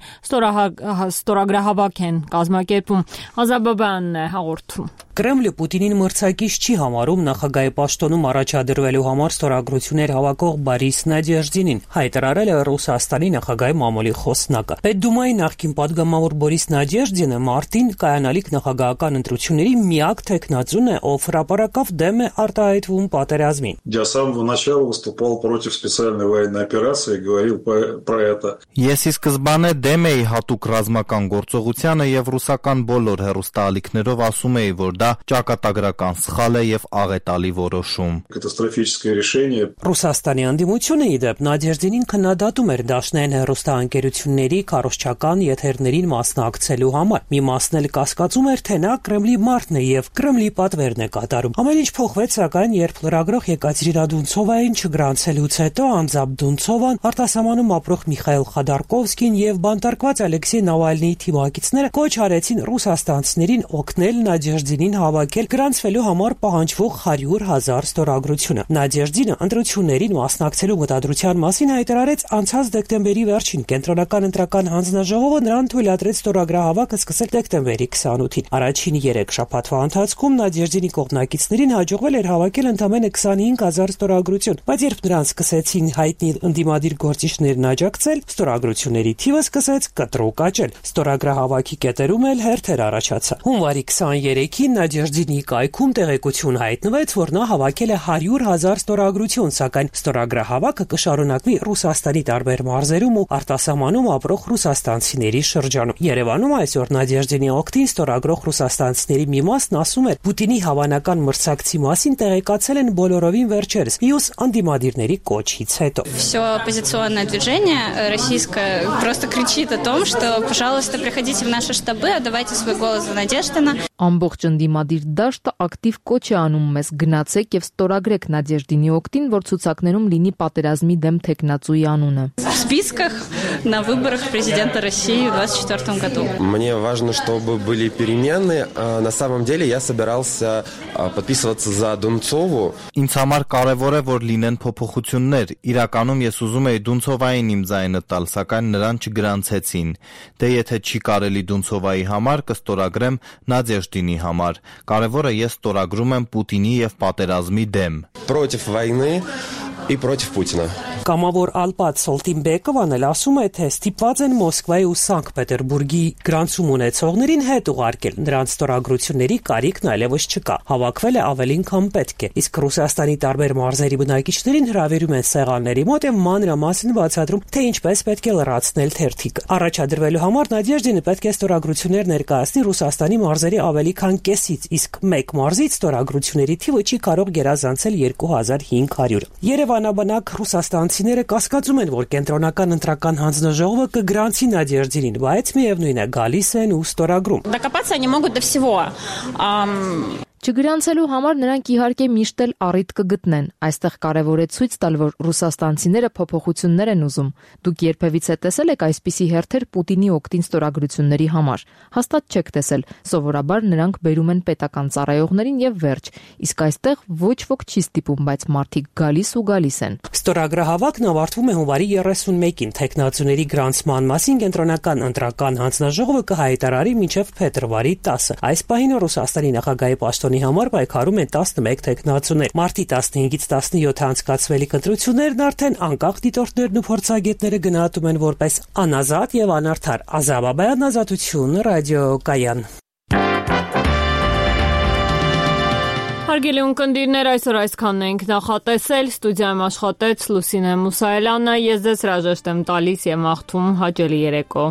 ստորագրահավաք են կազմակերպում։ Ազաբաբյանն է հաղորդում։ Կրեմլը Պուտինին մրցակից չի համարում նախագահի պաշտոնում առաջադրվելու համար ստորագրություններ հավաքող Բորիս Նադեժդինին, հայտարարել է Ռուսաստանի նախագահի մամուլի խոսնակը։ Պետդումայի նախկին падգամավոր Բորիս Նադեժդինը մարտին կայանալիք նախագահական ընտրությունների միակ թեկնածուն է, ով հրապարակավ դեմ է արտահայտվում պատերազմին։ Я с самого начала выступал против специальной военной операции и говорил про это. Ես ի սկզբանե դեմ էի հատուկ ռազմական գործողությանը եւ ռուսական բոլոր հեռուստաալիքներով ասում էի, որ դա ճակատագրական սխալ է եւ աղետալի որոշում։ Կատաստրոֆическое решение. Ռուսաստանի անդիմությունը իդեպ Նադեժդինին քննադատում էր դաշնային հեռուստաընկերությունների քարոզչական եթերներին մասնակցելու համար։ Մի մասն էլ կասկածում էր, թե նա Կրեմլի մարդն է եւ Կրեմլի պատվերն է կատարում։ Ամեն ինչ փոխվեց, սակայն երբ լրագրող Եկատերինա Դունցովային չգրանցելուց հետո անձամբ Դունցովան, արտասահմանում ապրող Միխայել Խադարկովսկին եւ բանտարկված Ալեքսեյ Նավալնիի թիմակիցները կոչ արեցին ռուսաստանցիներին օգնել Նադեժդինին հավաքել գրանցվելու համար պահանջվող 100,000 ստորագրությունը։ Նադեժդինը ընտրություններին մասնակցելու մտադրության մասին հայտարարեց անցած դեկտեմբերի վերջին։ Կենտրոնական ընտրական հանձնաժողովը նրան թույլատրեց ստորագրահավաքը սկսել դեկտեմբերի 28-ին։ Առաջին 3 շաբաթվա ընթացքում Նադեժդինի կողմնակիցներին հաջողվել էր հավաքել ընդամենը 25,000 ստորագրություն, բայց երբ նրանց սկսեցին հայտնի ընդդիմադիր գործիչներն աջակցել, ստորագրությունների թիվը սկսեց կտրուկ աճել։ Ստորագրահավաքի կետերում էլ հերթեր առաջացան։ Հունվարի 23-ին Նադեժդինի կայքում տեղեկություն հայտնվեց, որ նա հավաքել է 100,000 ստորագրություն, սակայն ստորագրահավաքը կշարունակվի Ռուսաստանի տարբեր մարզերում ու արտասահմանում ապրող ռուսաստանցիների շրջանում։ Երևանում այսօր Նադեժդինի օգտին ստորագրող ռուսաստանցիների մի մասն ասում է, Պուտինի հավանական մրցակցի մասին տեղեկացել են բոլորովին վերջերս, մյուս անդիմադիրների կոչից հետո։ Всё оппозиционное движение российское просто кричит о том, что, пожалуйста, приходите в наши штабы, отдавайте свой голос за Надеждина. Ամբողջ ընդդիմադիր դաշտը ակտիվ կոչ է անում մեզ գնացեք եւ ստորագրեք Նադեժդինի օգտին, որ ցուցակներում լինի պատերազմի դեմ թեկնածուի անունը։ В списках на выборах президента России в 2024 году. Мне важно, чтобы были перемены. На самом деле я собирался подписываться за Дунцову. Ինձ համար կարևոր է, որ լինեն փոփոխություններ։ Իրականում ես ուզում էի Դունցովային իմ ձայնը տալ, սակայն նրան չգրանցեցին։ Դե եթե չի կարելի Դունցովայի համար, կստորագրեմ Նադեժդինի համար։ Կարևորը ես ստորագրում եմ Պուտինի եւ պատերազմի դեմ։ Против войны. и против Путина. Կամավոր Ալպատ Սոլտինբեկովն էլ ասում է, թե ստիպված են Մոսկվայի ու Սանկտ Պետերբուրգի գրանցում ունեցողներին հետ ուղարկել, նրանց ստորագրությունների կարիքն այլևս չկա, հավաքվել է ավելին քան պետք է, իսկ Ռուսաստանի տարբեր մարզերի բնակիչներին հրավիրում են սեղանների մոտ եւ մանրամասն բացատրում, թե ինչպես պետք է լրացնել թերթիկը։ Առաջադրվելու համար Նադեժդինը պետք է ստորագրություններ ներկայացնի Ռուսաստանի մարզերի ավելի քան կեսից, իսկ մեկ մարզից ստորագրությունների թիվը չի կարող գերազանցել 2500։ Երևանաբնակ ռուսաստանցիները կասկածում են, որ կենտրոնական ընտրական հանձնաժողովը կգրանցի Նադեժդինին, բայց միևնույն է գալիս են ու ստորագրում։ Докопаться они могут до всего. Չգրանցելու համար նրանք իհարկե միշտ էլ առիթ կգտնեն։ Այստեղ կարևոր է ցույց տալ, որ ռուսաստանցիները փոփոխություններ են ուզում։ Դուք երբևիցե տեսել եք այսպիսի հերթեր Պուտինի օգտին ստորագրությունների համար։ Հաստատ չեք տեսել։ Սովորաբար նրանք բերում են պետական ծառայողներին եւ վերջ։ Իսկ այստեղ ոչ ոք չի ստիպում, բայց մարդիկ գալիս ու գալիս են։ Ստորագրահավաքն ավարտվում է հունվարի 31-ին։ Տեխնացուների գրանցման մասին կենտրոնական ընտրական հանձնաժողովը կհայտարարի մինչև փետրվարի 10-ը։ Այս պահին Ռուսաստանի նախագահի պաշտոնի համար պայքարում են 11 տեխնացուներ։ Մարտի 15-ից 17 անցկացվելիք ընտրություններն արդեն անկախ դիտորդներն ու փորձագետները գնահատում են որպես անազատ եւ անարդար։ Ազաբաբայան, Ազատություն, ռադիոկայան։ Հարգելի ունկնդիրներ, այսօր այսքանն ենք նախատեսել, ստուդիայում աշխատեց Լուսինե Մուսայելյանը, ես ձեզ հրաժեշտ եմ տալիս եւ մաղթում հաճելի երեկո։